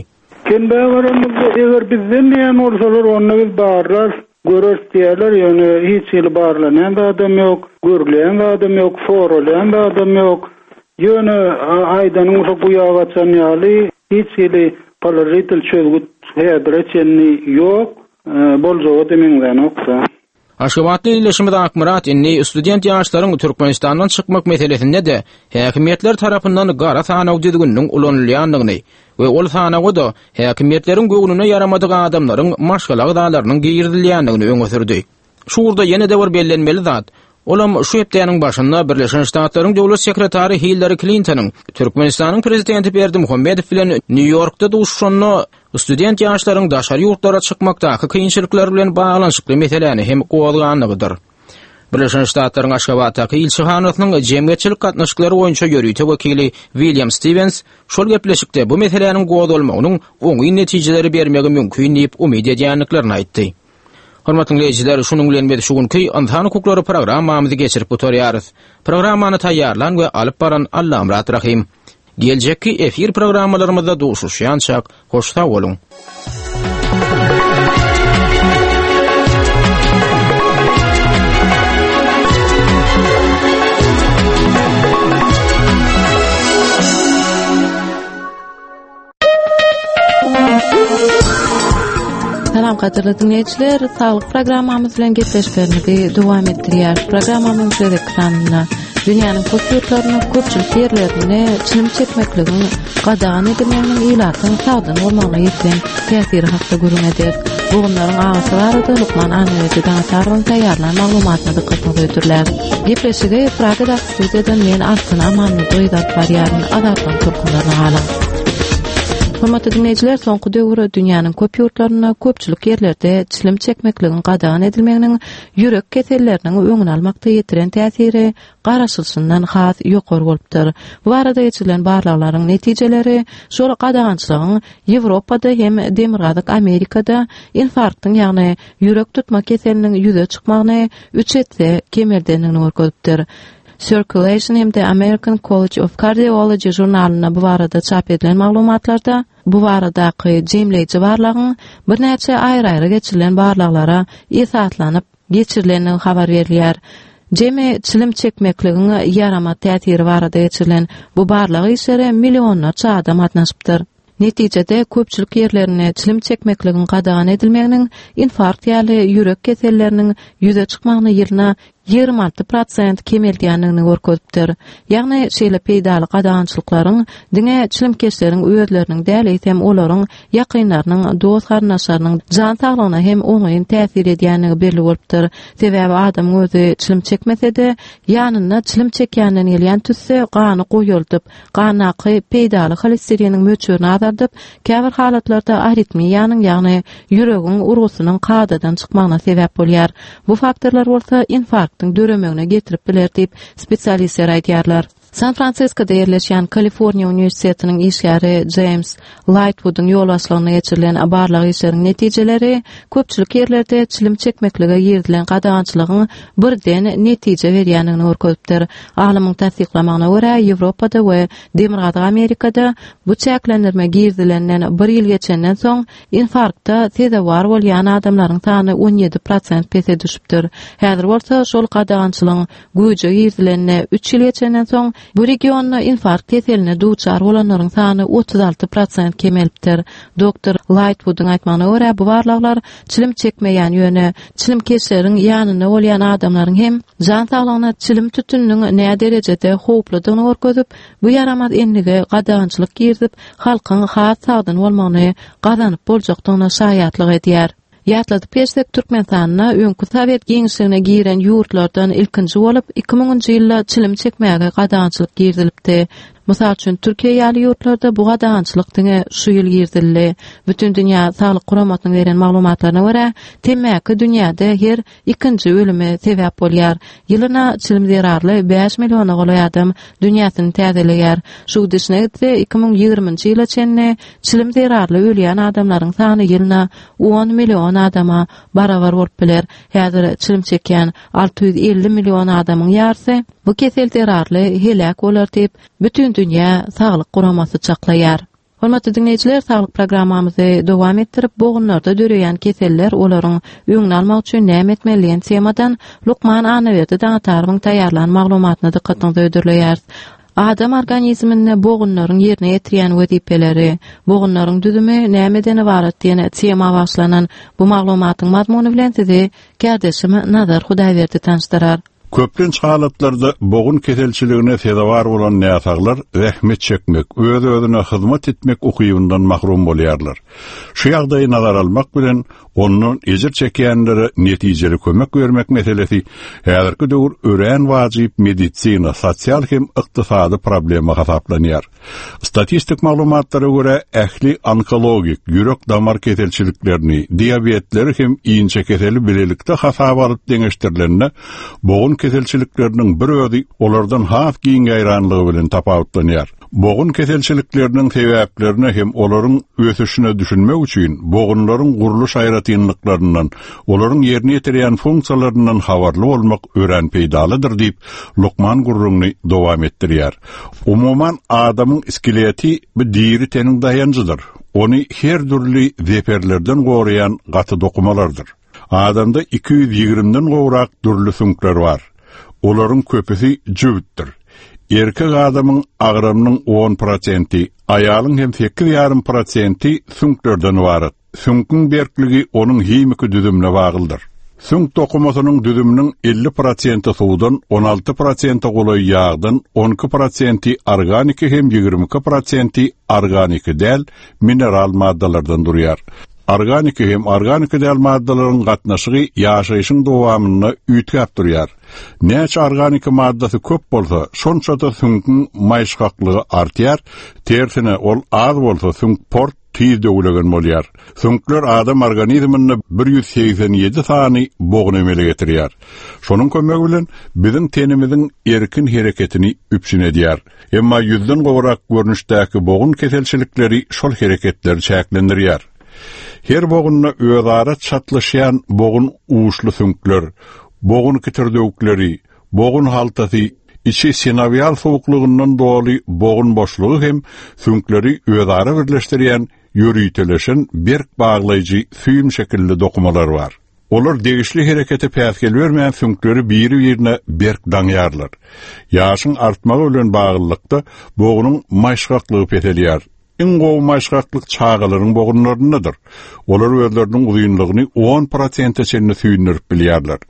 Kenbe baramyzda eger bizden diýen bolsalar onda biz barlar, görürs diýerler, ýöne hiç hili barlanan adam ýok, görülýän adam ýok, soralýan adam ýok. Ýöne aýdanyň bolsa guýa gaçan ýaly hiç hili položitel çözgüt häzire çenli ýok, boljagy da meňzänokda. Aşgabatly illeşimiz Akmyrat indi student ýaşlaryň Türkmenistandan çykmak meselesinde de häkimiýetler tarapyndan gara sanaw düzgüniniň ulanylýandygyny we ol sanawa da häkimiýetleriň göwnüne ýaramadyk adamlaryň maşgala agzalarynyň girizilýändigini öňe sürdi. Şu ugurda ýene de bir bellenmeli zat, olam şu hepdäniň başynda Birleşen Ştatlaryň Döwlet sekretary Hillary Klintonyň Türkmenistanyň prezidenti Berdimuhamedow bilen Nýu-Ýorkda duşuşanda student ýaşlaryň daşary ýurtlara çykmakdaky kynçylyklar bilen baglanyşykly meseläni hem gozganlygydyr. Birleşen Ştatlaryň Aşgabatdaky ilçihanasynyň jemgyýetçilik gatnaşyklary boýunça ýörite wekili William Stevens şol gepleşikde bu meseläniň gozgalmagynyň oňyn netijeleri bermegi mümkin diýip umyt edýändiklerini aýtdy. Hormatly dinleýjiler, şunuň bilen biz şu günki Ynsan hukuklary programmamyzy geçirip gutarýarys. Programmany taýýarlan we alyp baran Allamyrat Rahim. Geljekki efir programmalarymyzda duşuşýançak hoş sag boluň. Salam gadyrly dinleýjiler, saglyk programmamyz bilen gepleşiklerimizi dowam etdirýär. Programmamyzyň gezek sanynda dünýäniň köp ýurtlarynda köpçülik ýerlerinde çilim çekmekligiň gadagan edilmeginiň ilatyň sagdyn bolmagyna ýetiren täsiri hakda gürrüň ederis. Bogunlaryň agysy barada lukman Annaberdi Daňatarowyň taýýarlan maglumatyna dykgatyňyzy hödürläris. Gepleşigi Pragadaky studiýadan men Altyn Amanmyradowa alyp barýaryn. Azatlygyň tolkunlaryna galyň. Hormatly dinleýjiler, soňky döwür dünýäniň köp ýurtlarynda köpçülik ýerlerde çilim çekmekligiň gadagan edilmeginiň ýürek keselleriniň öňüni almakda ýetiren täsiri garaşylyşyndan has ýokary bolupdyr. Bu barada geçirilen barlaglaryň netijeleri şol gadagançylygyň Ýewropada hem Demirgazyk Amerikada infarktyň, ýagny ýürek tutma keseliniň ýüze çykmagyny üç esse kemeldendigini görkezipdir. Circulation hem-de American College of Cardiology žurnalynda bu barada çap edilen maglumatlarda bu baradaky jemleýji barlagyň birnäçe aýry-aýry geçirilen barlaglara esaslanyp geçirilendigi habar berilýär. Jemi çilim çekmekligiň ýaramaz täsiri barada geçirilen bu barlag işlere millionlarça adam gatnaşypdyr. Netijede köpçülik ýerlerinde çilim çekmekligiň gadagan edilmeginiň infarkt ýaly ýürek keselleriniň ýüze çykmagyny ýylyna ýigrimi alty prosent kemeldýändigini görkezipdir. Ýagny şeýle peýdaly gadagançylyklaryň diňe çilimkeşleriň özleriniň däl, eýsem olaryň ýakynlarynyň, dost-garyndaşlarynyň jan saglygyna hem oňyn täsir edýändigi belli bolupdyr. Sebäbi adamyň özi çilim çekmese-de, ýanynda çilim çekýänden gelýän tüsse gany goýaldyp, gandaky peýdaly holesteriniň möçberini azaldyp, käbir halatlarda aritmiýanyň, ýagny ýüregiň urgusynyň kadadan çykmagyna sebäp bolýar. Bu faktorlar bolsa infarktyň döremegine getirip biler diýip, spesialistler aýdýarlar. San Fransiskoda ýerleşýän Kaliforniýa uniwersitetiniň işgäri James Lightwoodyň ýolbaşçylygynda geçirilen barlag işleriň netijeleri köpçülik ýerlerde çilim çekmeklige girizilen gadagançylygyň birden netije berýändigini görkezipdir. Alymyň tassyklamagyna görä, Ýewropada we Demirgazyk Amerikada bu çäklendirme girizilenden bir ýyl geçenden soň infarkta sezewar bolýan adamlaryň sany on ýedi prosent pese düşüpdir. Häzir bolsa şol gadagançylygyň güýje girizilenine üç ýyl geçenden soň bu regionda infarkt keseline duçar bolanlaryň sany otuz alty prosent kemelipdir. Doktor Lightwoodyň aýtmagyna görä, bu barlaglar çilim çekmeýän, ýöne çilimkeşleriň ýanynda bolýan adamlaryň hem jan saglygyna çilim tütüniniň nä derejede howpludygyny görkezip, bu ýaramaz endige gadagançylyk girizip, halkyň has sagdyn bolmagyny gazanyp boljakdygyna şaýatlyk edýär. Ýatladyp geçsek, Türkmenistanda öňki Sowet giňişligine giren ýurtlardan ilkinji bolup iki müňünji ýylda çilim çekmäge gadagançylyk girizilipdi. Mysal üçin, Türkiýe ýaly ýurtlarda bu gadagançylyk diňe şu ýyl girizildi. Bütindünýä Saglyk Guramasynyň beren maglumatlaryna görä, temmäki dünýäde her ikinji ölüme sebäp bolýar. Ýylyna çilim zerarly bäş milliona golaý adam dünýäsini täzeleýär. Şu gidişine gitse, iki müň ýigriminji ýyla çenli çilim zerarly ölýän adamlaryň sany ýylyna on million adama barabar bolup biler. Häzir çilim çekýän alty ýüz elli million adamyň ýarysy bu kesel zerarly heläk bolar diýip, Bütindünýä Saglyk Guramasy çaklaýar. Hormatly dinleýjiler, saglyk programmamyzy dowam etdirip, bogunlarda döreýän keseller, olaryň öňüni almak üçin näme etmeli diýen temadan lukman Annaberdi Daňatarowyň taýýarlan maglumatyna dykgatyňyzy hödürleýäris. Adam organizminde bogunlaryň ýerine ýetirýän wezipeleri, bogunlaryň düzümi nämeden ybarat diýen tema bagyşlanan bu maglumatyň mazmuny bilen sizi kärdeşim Nazar Hudaýberdi tanyşdyrar. Köplenç halatlarda bogun keselçiligine sezewar bolan näsaglar zähmet çekmek, öz-özüne hyzmat etmek ukybyndan mahrum bolýarlar. Şu ýagdaýy nazara almak bilen ondan ejir çekýänlere netijeli kömek bermek meselesi häzirki döwür örän wajyp medisina, sosial hem ykdysady problema hasaplanýar. Statistik maglumatlara görä ähli onkologik, ýürek damar keselçiliklerini, diabetleri hem inçe keseli bilelikde hasaba alyp deňeşdirilende bogun keselçilikleriniň bir özi olardan has giň ýaýranlygy bilen tapawutlanýar. Bogun keselçilikleriniň sebäplerine hem olaryň ösüşine düşünmek üçin bogunlaryň gurluş aýratynlyklaryndan, olaryň ýerine ýetirýän funksiýalaryndan habarly bolmak örän peýdalydyr diýip, lukman gurruňny dowam etdirýär. Umuman adamyň iskeleti bu diri teniň daýanjydyr. Ony her dürli zeperlerden goraýan gaty dokumalardyr. Adamda iki ýüz ýigrimden gowrak dürli süňkler bar. Olaryň köpüsi jübütdir. Erkek adamyň agramynyň on prosenti, aýalyň hem sekiz ýarym prosenti süňklerden ybarat. Süňküň berkligi onuň himiki düzümine baglydyr. Süňk dokumasynyň düzüminiň elli prosenti suwdan, on alty prosenti golaý ýagdan, on iki prosenti organiki hem ýigrimi iki prosenti organiki däl mineral maddalardan durýar. Organiki hem organiki däl maddalaryň gatnaşygy ýaşaýşyň dowamynda üýtgäp durýar. Näçe organiki maddasy köp bolsa, şonça-da süňküň maýyşgaklygy artýar, tersine ol az bolsa süňk port tiz döwülegen bolýar. Süňkler adam organizminde bir ýüz segsen ýedi sany bogun emele getirýär. Şonuň kömegi bilen biziň tenimiziň erkin hereketini üpjün edýär. Emma ýüzden gowrak görnüşdäki bogun keselçilikleri şol hereketleri çäklendirýär. Her bogunda özara çatlaşýan bogun uçly süňkler, bogun kitirdewükleri, bogun haltasy, içi sinowial soğuklugyndan doly bogun boşlugy hem süňkleri özara birleşdirýän ýöriteleşen berk baglaýjy süýüm şekilli dokumalar bar. Olar degişli herekete päsgel bermeýän süňkleri biri-birine berk daňýarlar. Ýaşyň artmagy bilen baglylykda bogunyň maýyşgaklygy peselýär. Iň gowy maýyşgaklyk çagalaryň bogunlaryndadyr. Olar özleriniň uzynlygyny on prosente çenli süýndürip bilýärler.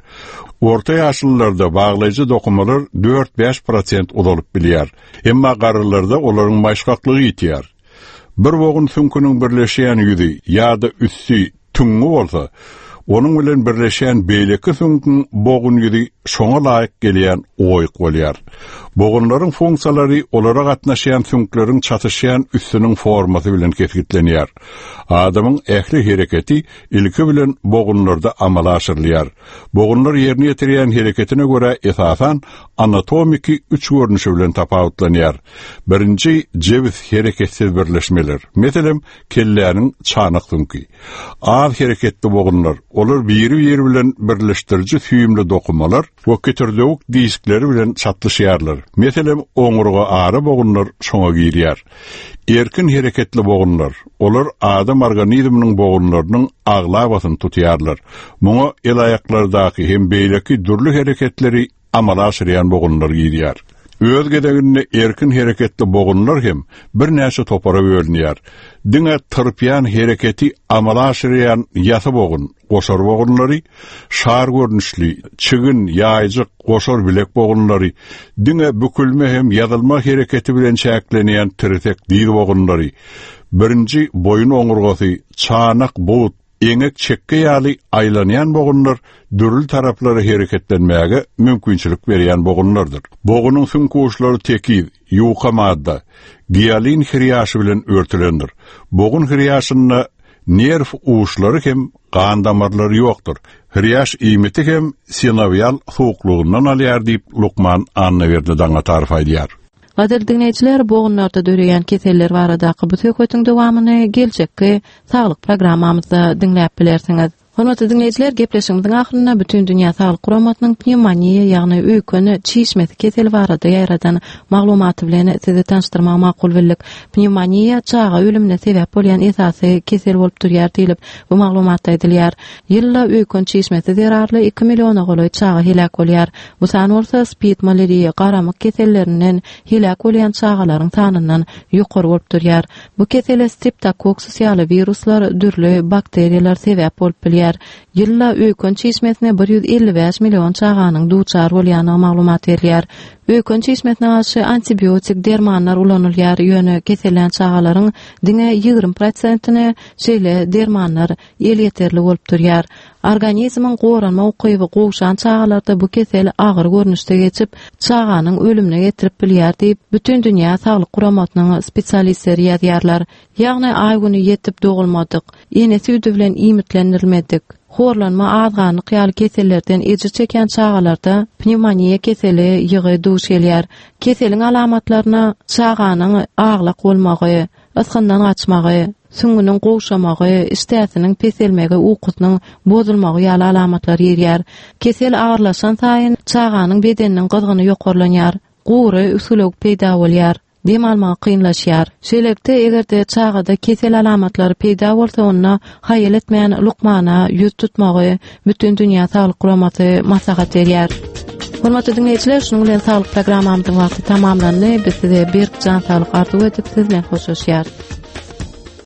Orta ýaşlylarda baglaýjy dokumalar dört-bäş prosent uzalyp bilýär. Emma garrylarda olaryň maýyşgaklygy ýitýär. Bir bogun süňküniň birleşýän ýüzi ýa-da üsti tüňňi bolsa, onuň bilen birleşýän beýleki süňküň bogun ýüzi şoňa laýyk gelýän oýuk bolýar. Bogunlaryň funksiýalary olara gatnaşýan süňkleriň çatyşýan üstüniň formasy bilen kesgitlenýär. Adamyň ähli hereketi ilki bilen bogunlarda amala aşyrylýar. Bogunlar ýerine ýetirýän hereketine görä esasan anatomiki üç görnüşi bilen tapawutlanýar. Birinji jebis hereketsiz birleşmeler. Meselem, kelläniň çanak süňki. Az hereketli bogunlar, olar biri-biri bilen birleşdiriji süýümli dokumalar we kitirdewük diskleri bilen çatlyşýarlar. Meselem, oňurga ara bogunlar şoňa girýär. Erkin hereketli bogunlar, olar adam organizminiň bogunlarynyň aglabasyny tutýarlar. Muňa el aýaklardaky hem beýleki dürli hereketleri amala aşyrýan bogunlar girýär. Öz gezeginde erkin hereketli bogunlar hem birnäçe topara bölünýär. Diňe tyrpýan hereketi amala aşyrýan ýasy bogun, goşar bogunlary, şar görnüşli, çigin, ýaýjyk, goşar bilek bogunlary, diňe bükülme hem ýazylma hereketi bilen çäklenýän tirsek diz bogunlary, birinji boýun oňurgasy, çanak, but, eňek çekge ýaly aýlanýan bogunlar dürli taraplara hereketlenmäge mümkinçilik berýän bogunlardyr. Bogunyň süňk uçlary tekiz, ýuka madda, gialin hirýaşy bilen örtülendir. Bogun hirýaşynda nerw uçlary hem gan damarlary ýokdur. Hirýaş iýmiti hem sinowial soğuklugyndan alýar diýip lukman Annaberdi Daňatarow aýdýar. Gadyrly diňleýjiler, bogunlarda döreýän keseller baradaky bu söhbetiň dowamyny geljekki saglyk programmamyzda diňläp bilersiňiz. Hormatly diňleýjiler, gepleşigimiziň ahyrynda Bütün Dünýä Saglyk Guramasynyň pnewmoniýa, ýagny öýken çişmesi keseli barada ýaýradan maglumaty bilen sizi tanyşdyrmagy makul bildik. Pnewmoniýa çaga ölümine sebäp bolýan esasy kesel bolup durýar diýlip bu maglumatda aýdylýar. Ýylda öýken çişmesi zerarly iki milliona golaý çaga heläk bolýar. Bu san bolsa spid, malariýa, garamyk kesellerinden heläk bolýan çagalaryň sanyndan ýokary bolup durýar. Bu kesele streptokoksus ýaly wiruslar, dürli bakteriýalar sebäp bolup bilýär. Ýylda öýken çişmesine bir ýüz elli bäş million çaganyň duçar bolýandygy maglumat berilýär. Öýken çişmesine garşy antibiotik dermanlar ulanylýar, ýöne kesellän çagalaryň diňe ýigrimi prosentine şeýle dermanlar elýeterli bolup durýar. Organizmiň goranma ukyby gowşan çagalarda bu kesel agyr görnüşde geçip, çaganyň ölümine getirip bilýär diýip, Bütün Dünýä Saglyk Guramasynyň spesialistleri ýazýarlar. Ýagny aý güni ýetip dogulmadyk, ene süýdi bilen iýmitlendirilmedik, horlanma azganlyk ýaly kesellerden ejir çeken çagalarda pnewmoniýa keseli ýygy duş gelýär. Keseliň alamatlaryna çaganyň aglak bolmagy, ysgyndan gaçmagy, süňňüniň gowşamagy, işdäsiniň peselmegi, ukusynyň bozulmagy ýaly alamatlar girýär. Kesel agyrlaşan saýyn çaganyň bedeniniň gyzgyny ýokarlanýar, gury üsgülewük peýda bolýar, dem almagy kynlaşýar. Şeýlelikde, eger-de çagada kesel alamatlary peýda bolsa, onda haýal etmän lukmana ýüz tutmagy Bütün Dünýä Saglyk Guramasy maslahat berýär. Hormatly diňleýjiler, şunuň bilen saglyk programmamyzyň wagty tamamlandy. Biz size berk jan saglyk arzuw edip, siz bilen hoşlaşýarys.